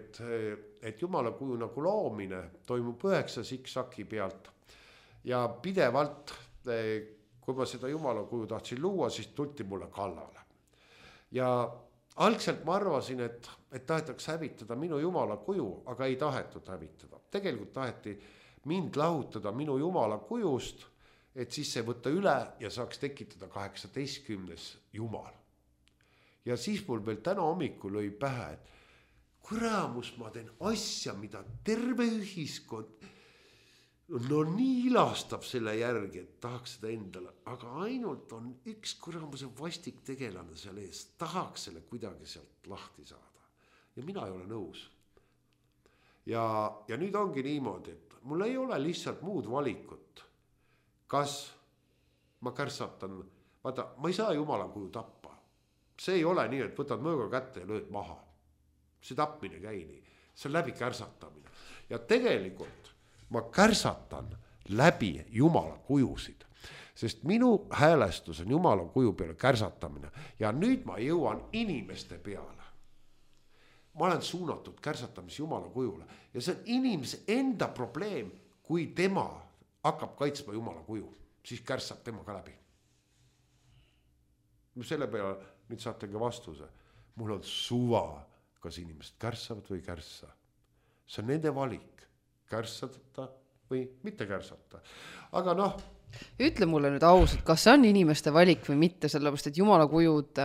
et Jumala kuju nagu loomine toimub 9 siksaki pealt ja pidevalt kui ma seda Jumala kuju tahtsin luua, siis tulti mulle kallale. Ja algselt ma arvasin, et tahetaks hävitada minu Jumala kuju, aga ei tahetud hävitada. Tegelikult taheti mind lahutada minu Jumala kujust, et siis see võtta üle ja saaks tekitada 18. jumal. Ja siis mul veel täna hommikul lõi pähe, et kuramus ma teen asja, mida terve ühiskond no nii ilastab selle järgi, et tahaks seda endale, aga ainult on üks kuramuse vastik tegelane seal ees, tahaks selle kuidagi sealt lahti saada. Ja mina ei ole nõus. Ja nüüd ongi niimoodi, et mul ei ole lihtsalt muud valikut. Kas ma kärsatan, vaata, ma ei saa jumala kuju tappa. See ei ole nii, et võtad mõõga kätte ja lööd maha. See tapmine käi nii, see on läbi kärsatamine. Ja tegelikult ma kärsatan läbi jumala kujusid, sest minu häälestus on jumala kuju peale kärsatamine ja nüüd ma jõuan inimeste peale. Ma olen suunatud kärsatamis jumala kujule ja see on inimese enda probleem, kui tema hakkab kaitsma jumala kuju, siis kärsab tema ka läbi. Selle peale nüüd saate ka vastuse. Mul on suva, kas inimesed kärsavad või kärssa. See on nende valik. Kärsata või mitte kärsata. Aga noh. Ütle mulle nüüd ausalt, kas see on inimeste valik või mitte, sellepärast et jumala kujud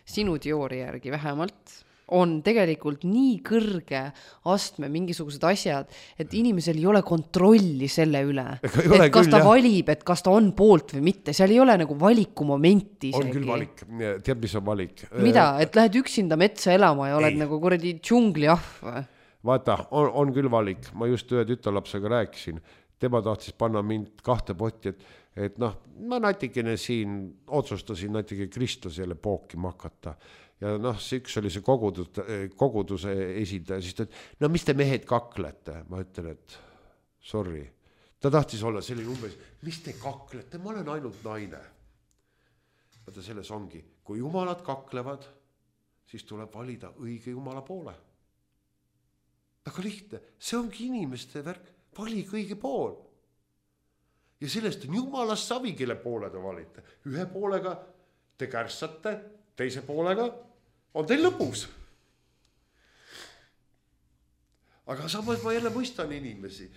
sinu teooria järgi vähemalt on tegelikult nii kõrge astme mingisugused asjad, et inimesel ei ole kontrolli selle üle. Et kas ta valib, et kas ta on poolt või mitte. Seal ei ole nagu valikumomenti isegi. On küll valik. Tead, mis on valik? Mida? Et lähed üksinda metsa elama ja oled nagu kuradi džungli ahv? Vaata, on küll valik. Ma just ühe tütarlapsega rääkisin. Tema tahtis panna mind 2 potti, et noh, ma natikene siin otsustasin natikene Kristus jälle pookima hakata. Ja noh, see üks oli see koguduse esindaja, siis ta, no mis te mehed kaklete? Ma ütlen, et sorry. Ta tahtis olla selline umbes, mis te kaklete? Ma olen ainult naine. Vaata, selles ongi, kui jumalad kaklevad, siis tuleb valida õige jumala poole. Aga lihtne, see ongi inimeste värk, valik õige pool. Ja sellest on jumalast savi, kelle poole te valite. Ühe poolega te kärssate, teise poolega on teil lõpus. Aga samas ma jälle mõistan inimesi,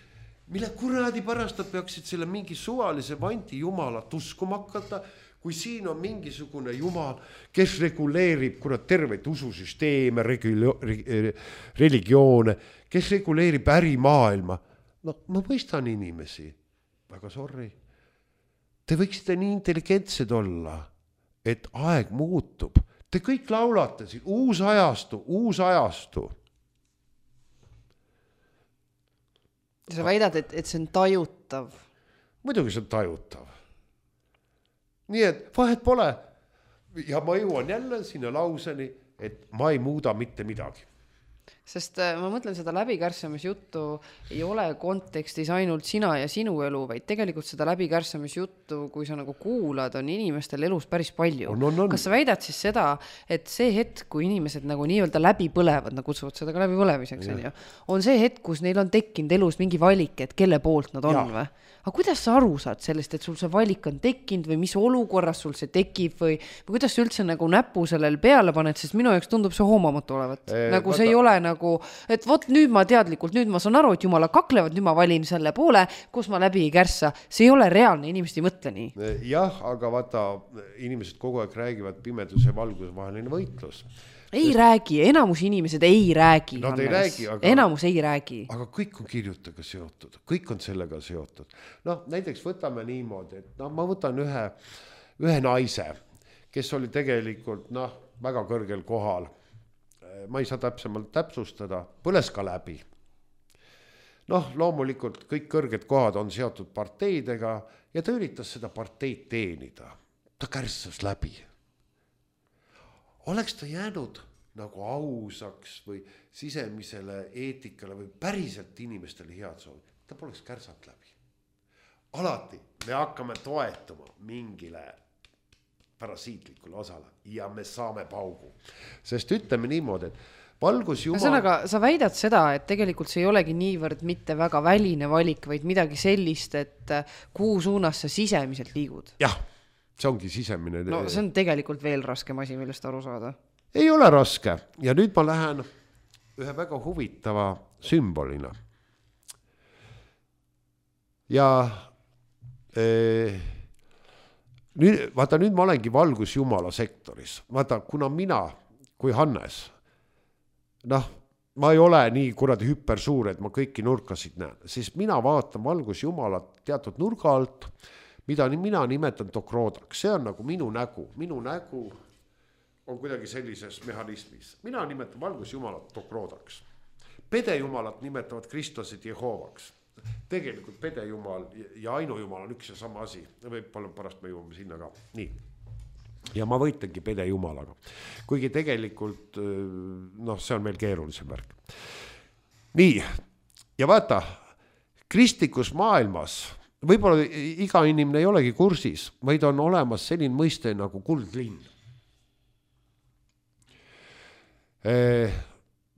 mille kuradi pärast peaksid selle mingi suvalise vanti jumalat uskuma hakata, kui siin on mingisugune jumal, kes reguleerib terveid ususüsteeme, religioone, kes reguleerib ärimaailma. No ma mõistan inimesi, väga sorry. Te võiksite nii intelligentsed olla, et aeg muutub. Te kõik laulate siin, uus ajastu. Sa väidad, et see on tajutav. Muidugi see on tajutav. Nii et vahet pole. Ja ma jõuan jälle sinna lauseni, et ma ei muuda mitte midagi. Sest ma mõtlen, seda läbikärssamisjuttu ei ole kontekstis ainult sina ja sinu elu, vaid tegelikult seda läbikärssamisjuttu, kui sa nagu kuulad, on inimestel elus päris palju. On. Kas sa väidad siis seda, et see hetk, kui inimesed nagu nii-öelda läbi põlevad, nad kutsuvad seda ka läbi põlemiseks, on see hetk, kus neil on tekkinud elus mingi valik, et kelle poolt nad on või? Aga kuidas sa aru saad sellest, et sul see valik on tekkinud või mis olukorras sul see tekib või kuidas sa üldse nagu näpu sellel peale paned, sest minu jaoks tundub see hoomamatu olevat. Nagu see ei ole nagu, et vot nüüd ma teadlikult, nüüd ma saan aru, et jumala kaklevad, nüüd ma valin selle poole, kus ma läbi ei kärssa. See ei ole reaalne, inimesed ei mõtle nii. Jah, aga vaata, inimesed kogu aeg räägivad pimeduse ja valguse vaheline võitlus. Ei räägi, enamus inimesed ei räägi. Nad ei räägi, aga... Enamus ei räägi. Aga kõik on kirjutaga seotud, kõik on sellega seotud. Noh, näiteks võtame niimoodi, et ma võtan ühe naise, kes oli tegelikult väga kõrgel kohal. Ma ei saa täpsemalt täpsustada, põles ka läbi. Loomulikult kõik kõrged kohad on seotud parteidega ja ta üritas seda parteid teenida. Ta kärssas läbi. Oleks ta jäänud nagu ausaks või sisemisele eetikale või päriselt inimestele head soovi, ta poleks kärsat läbi. Alati me hakkame toetuma mingile parasiitlikule osale ja me saame paugu. Sest ütleme niimoodi, et valgus jumal... Ühesõnaga, sa väidad seda, et tegelikult see ei olegi niivõrd mitte väga väline valik, vaid midagi sellist, et kuhu suunas sa sisemiselt liigud. Jah. See ongi sisemine... No see on tegelikult veel raskem asi, millest aru saada. Ei ole raske. Ja nüüd ma lähen ühe väga huvitava sümbolina. Ja nüüd ma olengi valgusjumala sektoris. Vaata, kuna mina kui Hannes, ma ei ole nii kuradi hüpersuur, et ma kõiki nurkasid näen, siis mina vaatan valgusjumalat teatud nurga alt, mida mina nimetan dokroodaks. See on nagu minu nägu on kuidagi sellises mehhanismis. Mina nimetan valgusjumalat dokroodaks. Pedejumalat nimetavad kristlased Jehoovaks. Tegelikult pedejumal ja ainujumal on üks ja sama asi. Võib-olla pärast me jõuame sinna ka. Nii. Ja ma võitlengi pedejumalaga. Kuigi tegelikult, see on meil keerulisem värk. Nii. Ja vaata, kristlikus maailmas võib-olla iga inimene ei olegi kursis, vaid on olemas selline mõiste nagu kuldlinn.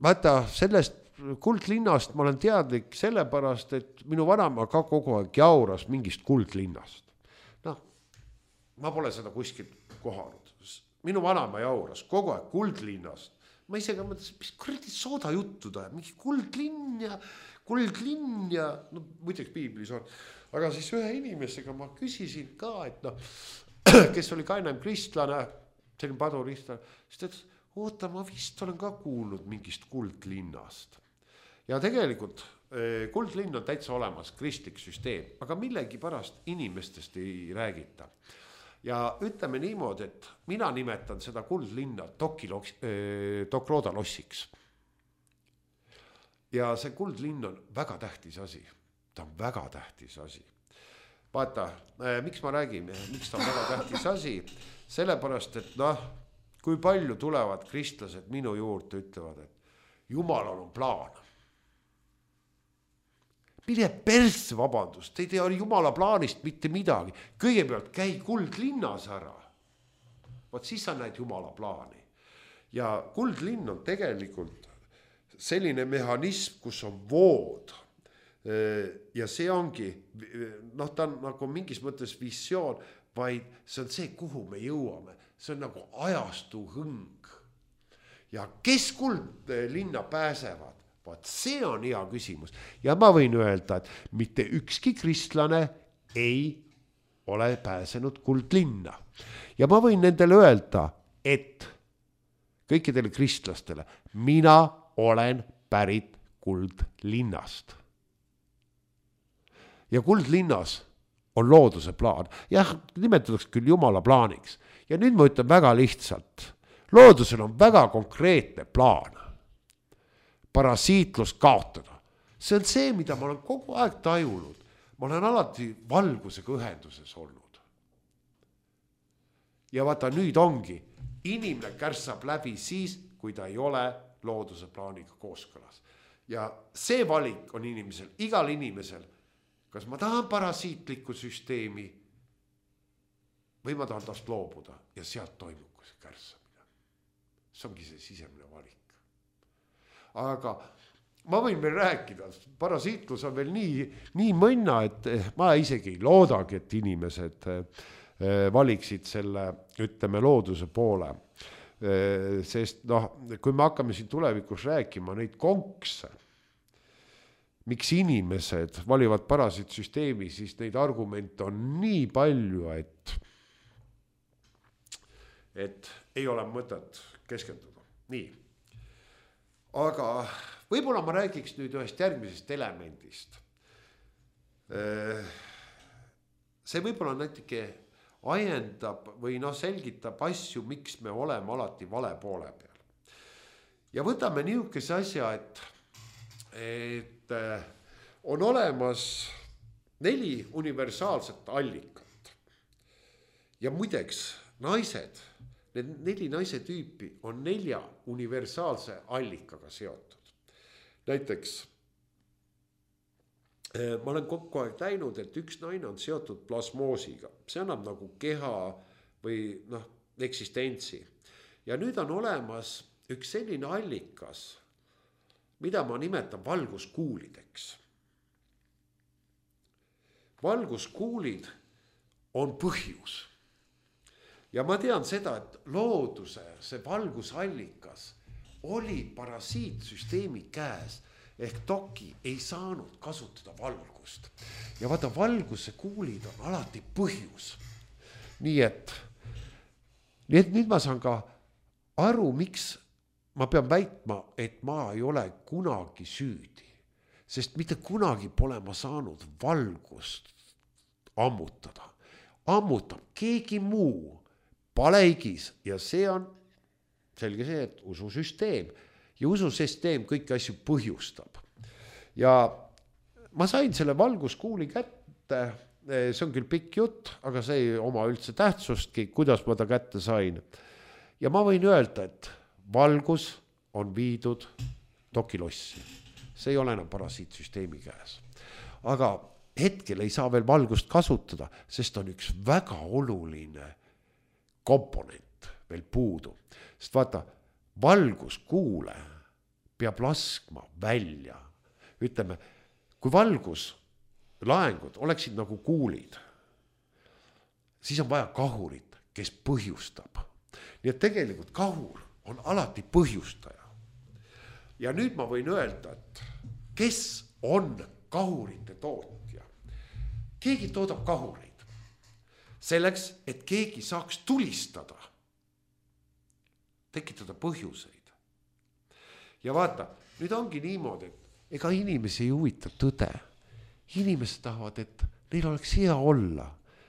Vaata, sellest kuldlinnast ma olen teadlik sellepärast, et minu vanaema ka kogu aeg jauras mingist kuldlinnast. Ma pole seda kuskilt kohanud. Minu vanaema jauras kogu aeg kuldlinnast. Ma isegi mõtlesin, mis kuradi sooda juttu ta, mingi kuldlinn ja muideks piiblis on. Aga siis ühe inimesega ma küsisin ka, et kes oli ka enam kristlane, selline paduristlane, siis ta ütles, oota, ma vist olen ka kuulnud mingist kuldlinnast. Ja tegelikult kuldlinn on täitsa olemas, kristlik süsteem, aga millegi pärast inimestest ei räägita. Ja ütleme niimoodi, et mina nimetan seda kuldlinna Dokrooda lossiks. Ja see kuldlinn on väga tähtis asi. Ta on väga tähtis asi. Vaata, miks ma räägin, miks ta on väga tähtis asi? Sellepärast, et kui palju tulevad kristlased minu juurde ütlevad, et Jumalal on plaan. Mine persse, vabandust, ei tea Jumala plaanist mitte midagi. Kõigepealt käi kuldlinnas ära. Vaat siis sa näed Jumala plaani. Ja kuldlinn on tegelikult selline mehhanism, kus on vood. Ja see ongi, ta on nagu mingis mõttes visioon, vaid see on see, kuhu me jõuame. See on nagu ajastu hõng. Ja kes kuldlinna pääsevad? Vaat see on hea küsimus. Ja ma võin öelda, et mitte ükski kristlane ei ole pääsenud kuldlinna. Ja ma võin nendele öelda, et kõikidele kristlastele, mina olen pärit kuldlinnast. Ja kuldlinnas on looduse plaan. Jah, nimetatakse küll Jumala plaaniks. Ja nüüd ma ütlen väga lihtsalt. Loodusel on väga konkreetne plaan. Parasiitlust kaotada. See on see, mida ma olen kogu aeg tajunud. Ma olen alati valgusega ühenduses olnud. Ja vaata, nüüd ongi. Inimene kärsab läbi siis, kui ta ei ole looduse plaaniga kooskõlas. Ja see valik on inimesel, igal inimesel. Kas ma tahan parasiitlikku süsteemi või ma tahan tast loobuda ja sealt toimub see kärsamine. See ongi see sisemine valik. Aga ma võin veel rääkida, parasiitlus on veel nii mõnna, et ma isegi ei loodagi, et inimesed valiksid selle, ütleme, looduse poole. Sest kui me hakkame siin tulevikus rääkima neid konkse, miks inimesed valivad parasiitsüsteemi, siis neid argumente on nii palju, et ei ole mõtet keskenduda. Nii. Aga võib-olla ma räägiks nüüd ühest järgmisest elemendist. See võib-olla natuke ajendab või selgitab asju, miks me oleme alati vale poole peal. Ja võtame niisuguse asja, et on olemas 4 universaalset allikat. Ja muideks naised, need 4 naise tüüpi on 4 universaalse allikaga seotud. Näiteks ma olen kokku aeg näinud, et üks naine on seotud plasmoosiga. See annab nagu keha või eksistentsi. Ja nüüd on olemas üks selline allikas, mida ma nimetan valguskuulideks. Valguskuulid on põhjus. Ja ma tean seda, et looduse, see valgusallikas oli parasiitsüsteemi käes. ehk doki ei saanud kasutada valgust. Ja vaata, valguse kuulid on alati põhjus. Nii et nüüd ma saan ka aru, miks ma pean väitma, et ma ei ole kunagi süüdi. Sest mitte kunagi pole ma saanud valgust ammutada. Ammutab keegi muu palehigis ja see on selge see, et ususüsteem. Ja ususüsteem kõiki asju põhjustab. Ja ma sain selle valguskuuli kätte, see on küll pikk jutt, aga see ei oma üldse tähtsustki, kuidas ma ta kätte sain. Ja ma võin öelda, et valgus on viidud dokilossi. See ei ole enam parasiitsüsteemi käes. Aga hetkel ei saa veel valgust kasutada, sest on üks väga oluline komponent veel puudu. Sest vaata, valguskuule peab laskma välja. Ütleme, kui valguslaengud oleksid nagu kuulid, siis on vaja kahurit, kes põhjustab. Nii et tegelikult kahur on alati põhjustaja. Ja nüüd ma võin öelda, et kes on kahurite tootja? Keegi toodab kahureid selleks, et keegi saaks tulistada, tekitada põhjuseid. Ja vaata, nüüd ongi niimoodi, et ega inimesi ei huvita tõde. Inimesed tahavad, et neil oleks hea olla.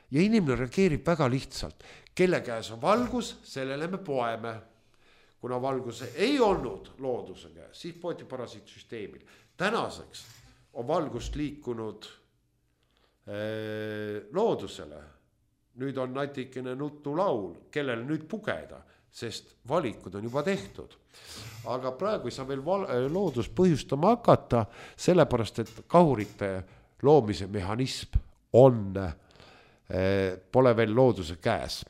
Ja inimene reageerib väga lihtsalt. Kelle käes on valgus, sellele me poeme. Kuna valgus ei olnud looduse käes, siis poeti parasiitsüsteemil. Tänaseks on valgust liikunud loodusele. Nüüd on natikene nutulaul, kellele nüüd pugeda, sest valikud on juba tehtud. Aga praegu ei saa veel loodus põhjustama hakata, sellepärast, et kahurite loomise mehhanism pole veel looduse käes.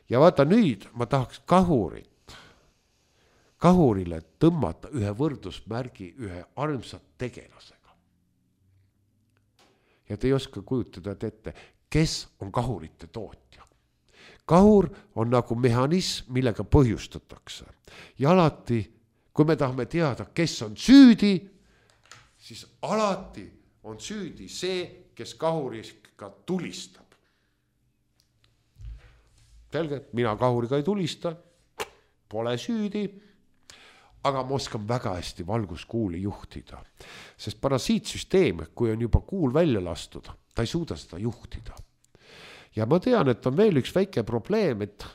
Ja vaata nüüd ma tahaks kahurile tõmmata ühe võrdusmärgi ühe armsat tegelasega. Ja te ei oska kujutada ette, kes on kahurite tootja. Kahur on nagu mehhanism, millega põhjustatakse. Ja alati, kui me tahame teada, kes on süüdi, siis alati on süüdi see, kes kahuriga tulistab. Selge, mina kahuriga ei tulista, pole süüdi, aga ma oskan väga hästi valguskuuli juhtida. Sest parasiitsüsteem, kui on juba kuul välja lastud, ta ei suuda seda juhtida. Ja ma tean, et on veel üks väike probleem, et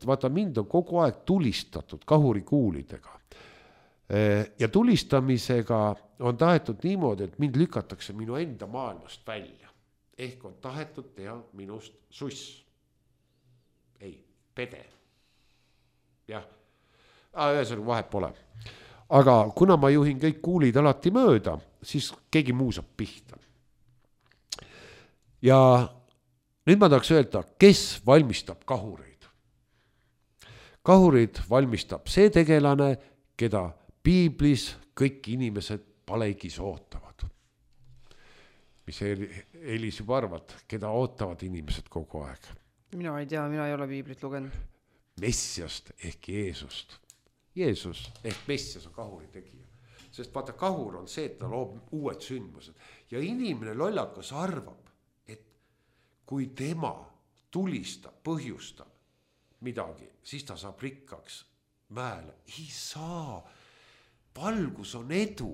vaata, mind on kogu aeg tulistatud kahurikuulidega. Ja tulistamisega on tahetud niimoodi, et mind lükatakse minu enda maailmast välja. Ehk on tahetud teha minust suss. Ei, pede. Jah, ühesõnaga vahet pole. Aga kuna ma juhin kõik kuulid alati mööda, siis keegi muu saab pihta. Ja nüüd ma tahaks öelda, kes valmistab kahureid. Kahurid valmistab see tegelane, keda piiblis kõik inimesed palehigis ootavad. Mis Elis juba arvad, keda ootavad inimesed kogu aeg? Mina ei tea, mina ei ole piiblit lugenud. Messiast ehk Jeesust. Jeesus ehk Messias on kahuri tegija. Sest vaata, kahur on see, et ta loob uued sündmused. Ja inimene lollakas arvab, et kui tema tulistab, põhjustab midagi, siis ta saab rikkaks mäele. Ei saa. Valgus on edu,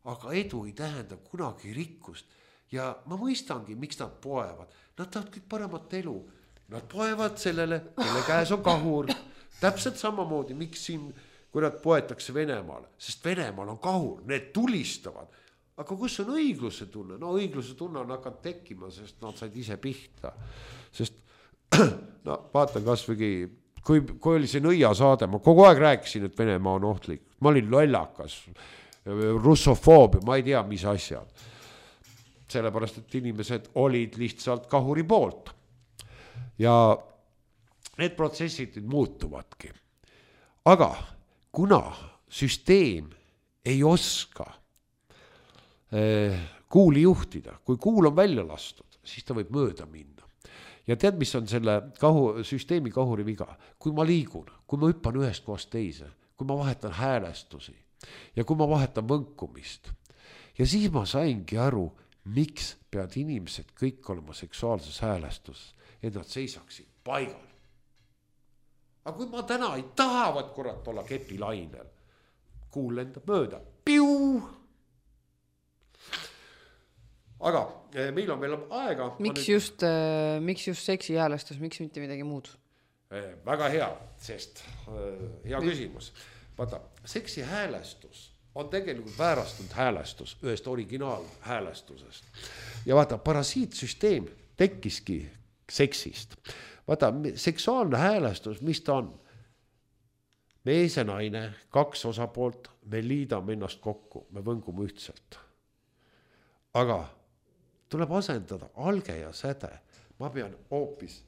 aga edu ei tähenda kunagi rikkust. Ja ma mõistangi, miks nad poevad. Nad tahavad kõik paremat elu. Nad poevad sellele, kelle käes on kahur. Täpselt samamoodi, miks siin, kui nad poetakse Venemaale, sest Venemaal on kahur, need tulistavad. Aga kus on õigluse tunne? No õigluse tunne on hakanud tekkima, sest nad said ise pihta. Sest no vaatan kasvõi, kui oli see Nõia saade, ma kogu aeg rääkisin, et Venemaa on ohtlik. Ma olin lollakas, russofoobia, ma ei tea, mis asjad. Sellepärast, et inimesed olid lihtsalt kahuri poolt. Ja need protsessid muutuvadki. Aga kuna süsteem ei oska kuuli juhtida, kui kuul on välja lastud, siis ta võib mööda minna. Ja tead, mis on selle süsteemi kahuri viga? Kui ma liigun, kui ma hüppan ühest kohast teise, kui ma vahetan häälestusi ja kui ma vahetan võnkumist ja siis ma saingi aru, miks peavad inimesed kõik olema seksuaalses häälestuses, et nad seisaksid paigal. Aga kui ma täna ei tahavad kurat olla kepilainel, kuul lendab mööda, piu! Aga meil on veel aega. Miks just seksi häälestus, miks mitte midagi muud? Väga hea, sest hea küsimus. Vaata, seksi häälestus on tegelikult väärastunud häälestus ühest originaalhäälestusest. Ja vaata, parasiitsüsteem tekkiski seksist. Vaata, seksuaalne häälestus, mis ta on? Mees ja naine, 2 osapoolt, me liidame ennast kokku, me võngume ühtselt. Aga tuleb asendada alge ja säde. Ma pean hoopis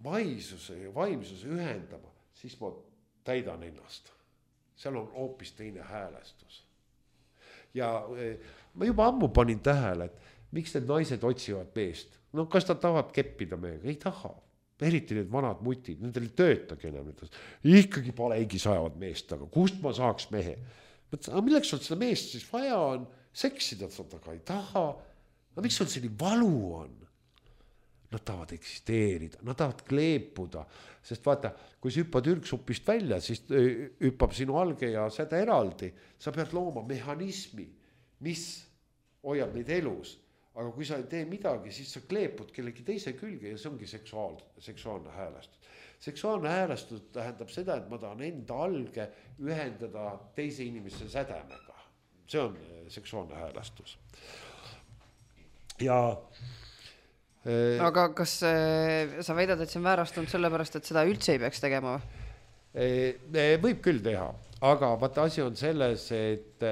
vaisuse ja vaimsuse ühendama, siis ma täidan ennast. Seal on hoopis teine häälestus. Ja ma juba ammu panin tähele, et miks need naised otsivad meest. No kas ta tahavad keppida meiega? Ei taha. Eriti need vanad mutid, nendel ei töötagi enam. Ikkagi palegi sajavad meest, aga kust ma saaks mehe? Aga milleks sul seda meest siis vaja on? Seksida seda ka ei taha. Aga miks sul selline valu on? Nad tahavad eksisteerida, nad tahavad kleepuda, sest vaata, kui sa hüppad ürgsupist välja, siis hüppab sinu alge ja säde eraldi. Sa pead looma mehhanismi, mis hoiab neid elus. Aga kui sa ei tee midagi, siis sa kleepud kellegi teise külge ja see ongi seksuaalne häälestus. Seksuaalne häälestus tähendab seda, et ma tahan enda alge ühendada teise inimese sädemega. See on seksuaalne häälestus. Ja aga kas sa väidad, et see on väärastunud sellepärast, et seda üldse ei peaks tegema? Võib küll teha, aga vaata asi on selles, et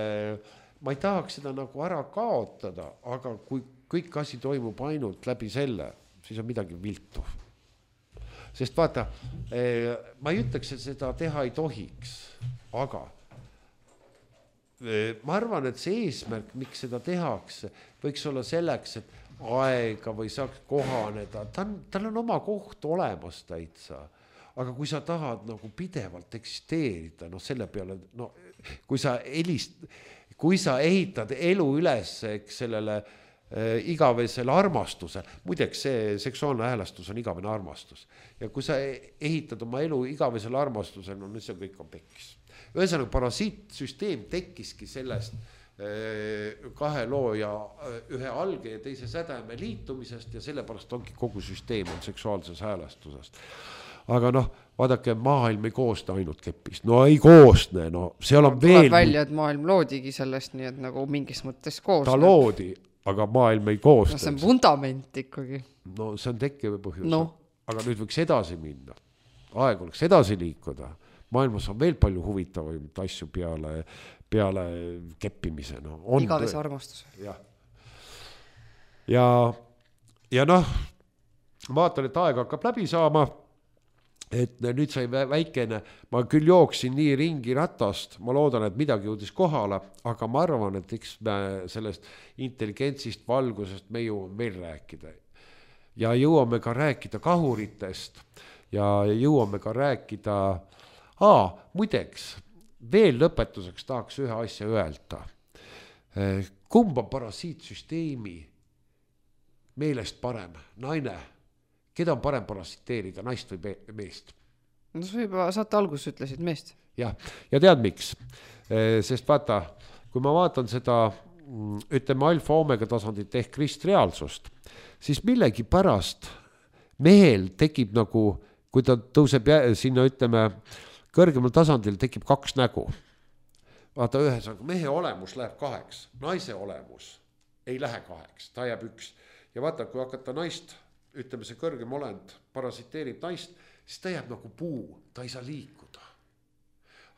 ma ei tahaks seda nagu ära kaotada, aga kui kõik asi toimub ainult läbi selle, siis on midagi viltu. Sest vaata, ma ei ütleks, et seda teha ei tohiks, aga ma arvan, et see eesmärk, miks seda tehakse, võiks olla selleks, et aega või saaks kohaneda, tal on oma koht olemas täitsa, aga kui sa tahad nagu pidevalt eksisteerida, no selle peale, no kui sa ehitad elu üles sellele igavesele armastusele, muideks see seksuaalne häälestus on igavene armastus ja kui sa ehitad oma elu igavesele armastusele, no see kõik on pekkis. Ühesõnaga parasiitsüsteem tekkiski sellest 2 loo ja ühe alge ja teise sädeme liitumisest ja sellepärast ongi kogu süsteem on seksuaalses häälestusest. Aga noh, vaadake, maailm ei koosne ainult kepist. No ei koosne, no seal on veel... Tuleb välja, et maailm loodigi sellest, nii et nagu mingis mõttes koosne. Ta loodi, aga maailm ei koosne. No see on vundament ikkagi. No see on tekkiv põhjus. No. Aga nüüd võiks edasi minna. Aeg oleks edasi liikuda. Maailmas on veel palju huvitavaid asju peale keppimise. No, igavese armastus. Ja noh, vaatan, et aeg hakkab läbi saama, et nüüd sai väikene, ma küll jooksin nii ringi ratast, ma loodan, et midagi jõudis kohale, aga ma arvan, et eks me sellest intelligentsist, valgusest me jõuame veel rääkida. Ja jõuame ka rääkida kahuritest ja jõuame ka rääkida muideks, veel lõpetuseks tahaks ühe asja öelda. Kumb on parasiitsüsteemi meelest parem? Naine, keda on parem parasiteerida, naist või meest? No sa juba saate alguses ütlesid meest. Ja tead miks? Sest vaata, kui ma vaatan seda, ütleme alfa-omega tasandit ehk kristreaalsust, siis millegi pärast mehel tekib nagu, kui ta tõuseb sinna, ütleme, kõrgemal tasandil tekib 2 nägu. Vaata ühesõnaga, mehe olemus läheb 2, naise olemus ei lähe 2, ta jääb 1. Ja vaata, kui hakata naist, ütleme see kõrgem olend, parasiteerib naist, siis ta jääb nagu puu, ta ei saa liikuda.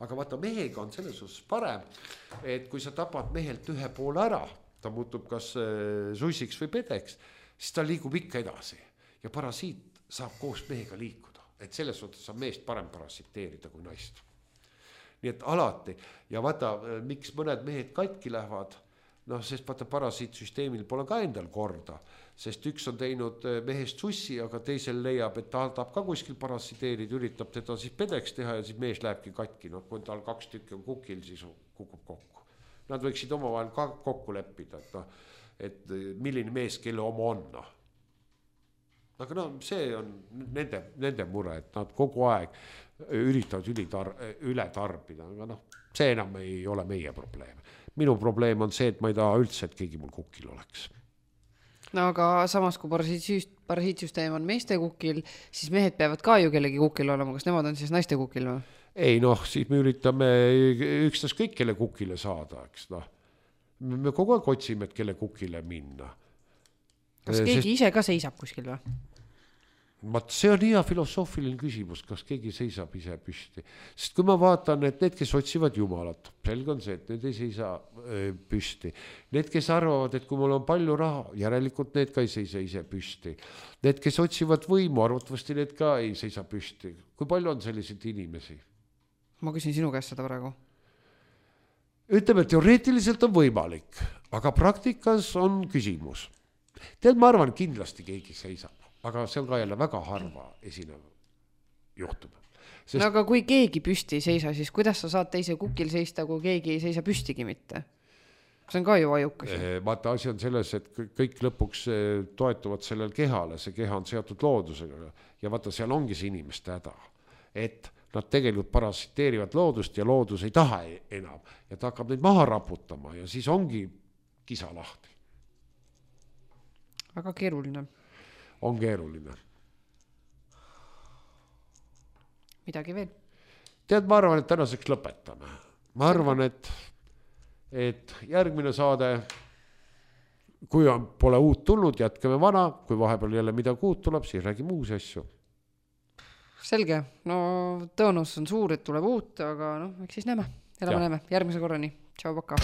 Aga vaata, mehega on selles osas parem, et kui sa tapad mehelt ühe poole ära, ta muutub kas sussiks või pedeks, siis ta liigub ikka edasi. Ja parasiit saab koos mehega liikuda. Et selles suhtes saab meest parem parasiteerida kui naist. Nii et alati. Ja vaata, miks mõned mehed katki lähevad, noh, sest vaata parasiitsüsteemil pole ka endal korda, sest üks on teinud mehest sussi, aga teisel leiab, et ta tahab ka kuskil parasiteerida, üritab teda siis pedeks teha ja siis mees lähebki katki. No, kui tal 2 tükki on kukil, siis kukub kokku. nad võiksid omavahel ka kokku leppida, et milline mees, kelle oma on. Aga no see on nende mure, et nad kogu aeg üritavad üle tarbida, aga noh, see enam ei ole meie probleem. Minu probleem on see, et ma ei taha üldse, et keegi mul kukil oleks. No aga samas, kui parasiitsüsteem on meeste kukil, siis mehed peavad ka ju kellegi kukil olema, kas nemad on siis naiste kukil või? Ei noh, siis me üritame ükstas kõik kelle kukile saada, eks noh. Me kogu aeg otsime, et kelle kukile minna. Kas keegi ise ka seisab kuskil või? See on hea filosoofiline küsimus, kas keegi seisab ise püsti. Sest kui ma vaatan, et need, kes otsivad Jumalat, selge on see, et need ei seisa püsti. Need, kes arvavad, et kui mul on palju raha, järelikult need ka ei seisa ise püsti. Need, kes otsivad võimu, arvatavasti need ka ei seisa püsti. Kui palju on selliseid inimesi? Ma küsin sinu käest seda praegu. Ütleme, teoreetiliselt on võimalik, aga praktikas on küsimus. Tead, ma arvan, kindlasti keegi seisab. Aga see on ka jälle väga harva esinev juhtub. Sest... No aga kui keegi püsti ei seisa, siis kuidas sa saad teise kukil seista, kui keegi ei seisa püstigi mitte? See on ka ju ajukas. Vaata, asi on selles, et kõik lõpuks toetuvad sellel kehale, see keha on seotud loodusega ja vaata, seal ongi see inimeste häda, et nad tegelikult parasiteerivad loodust ja loodus ei taha enam ja ta hakkab neid maha raputama ja siis ongi kisa lahti. Väga keeruline. On keeruline. Midagi veel? Tead, ma arvan, et tänaseks lõpetame. Ma arvan, et järgmine saade, kui pole uut tulnud, jätkame vana, kui vahepeal jälle midagi uut tuleb, siis räägime uusi asju. Selge, no tõenäosus on suur, et tuleb uut, aga noh, eks siis näeme. Näeme. Järgmise korrani. Tšau, paka.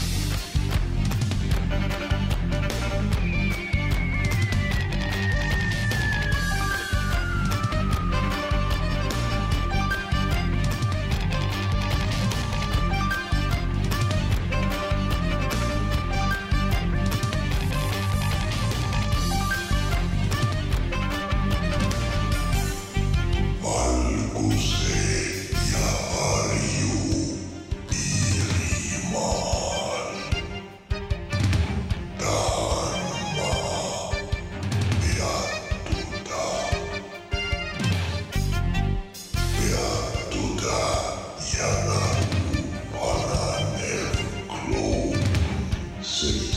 City.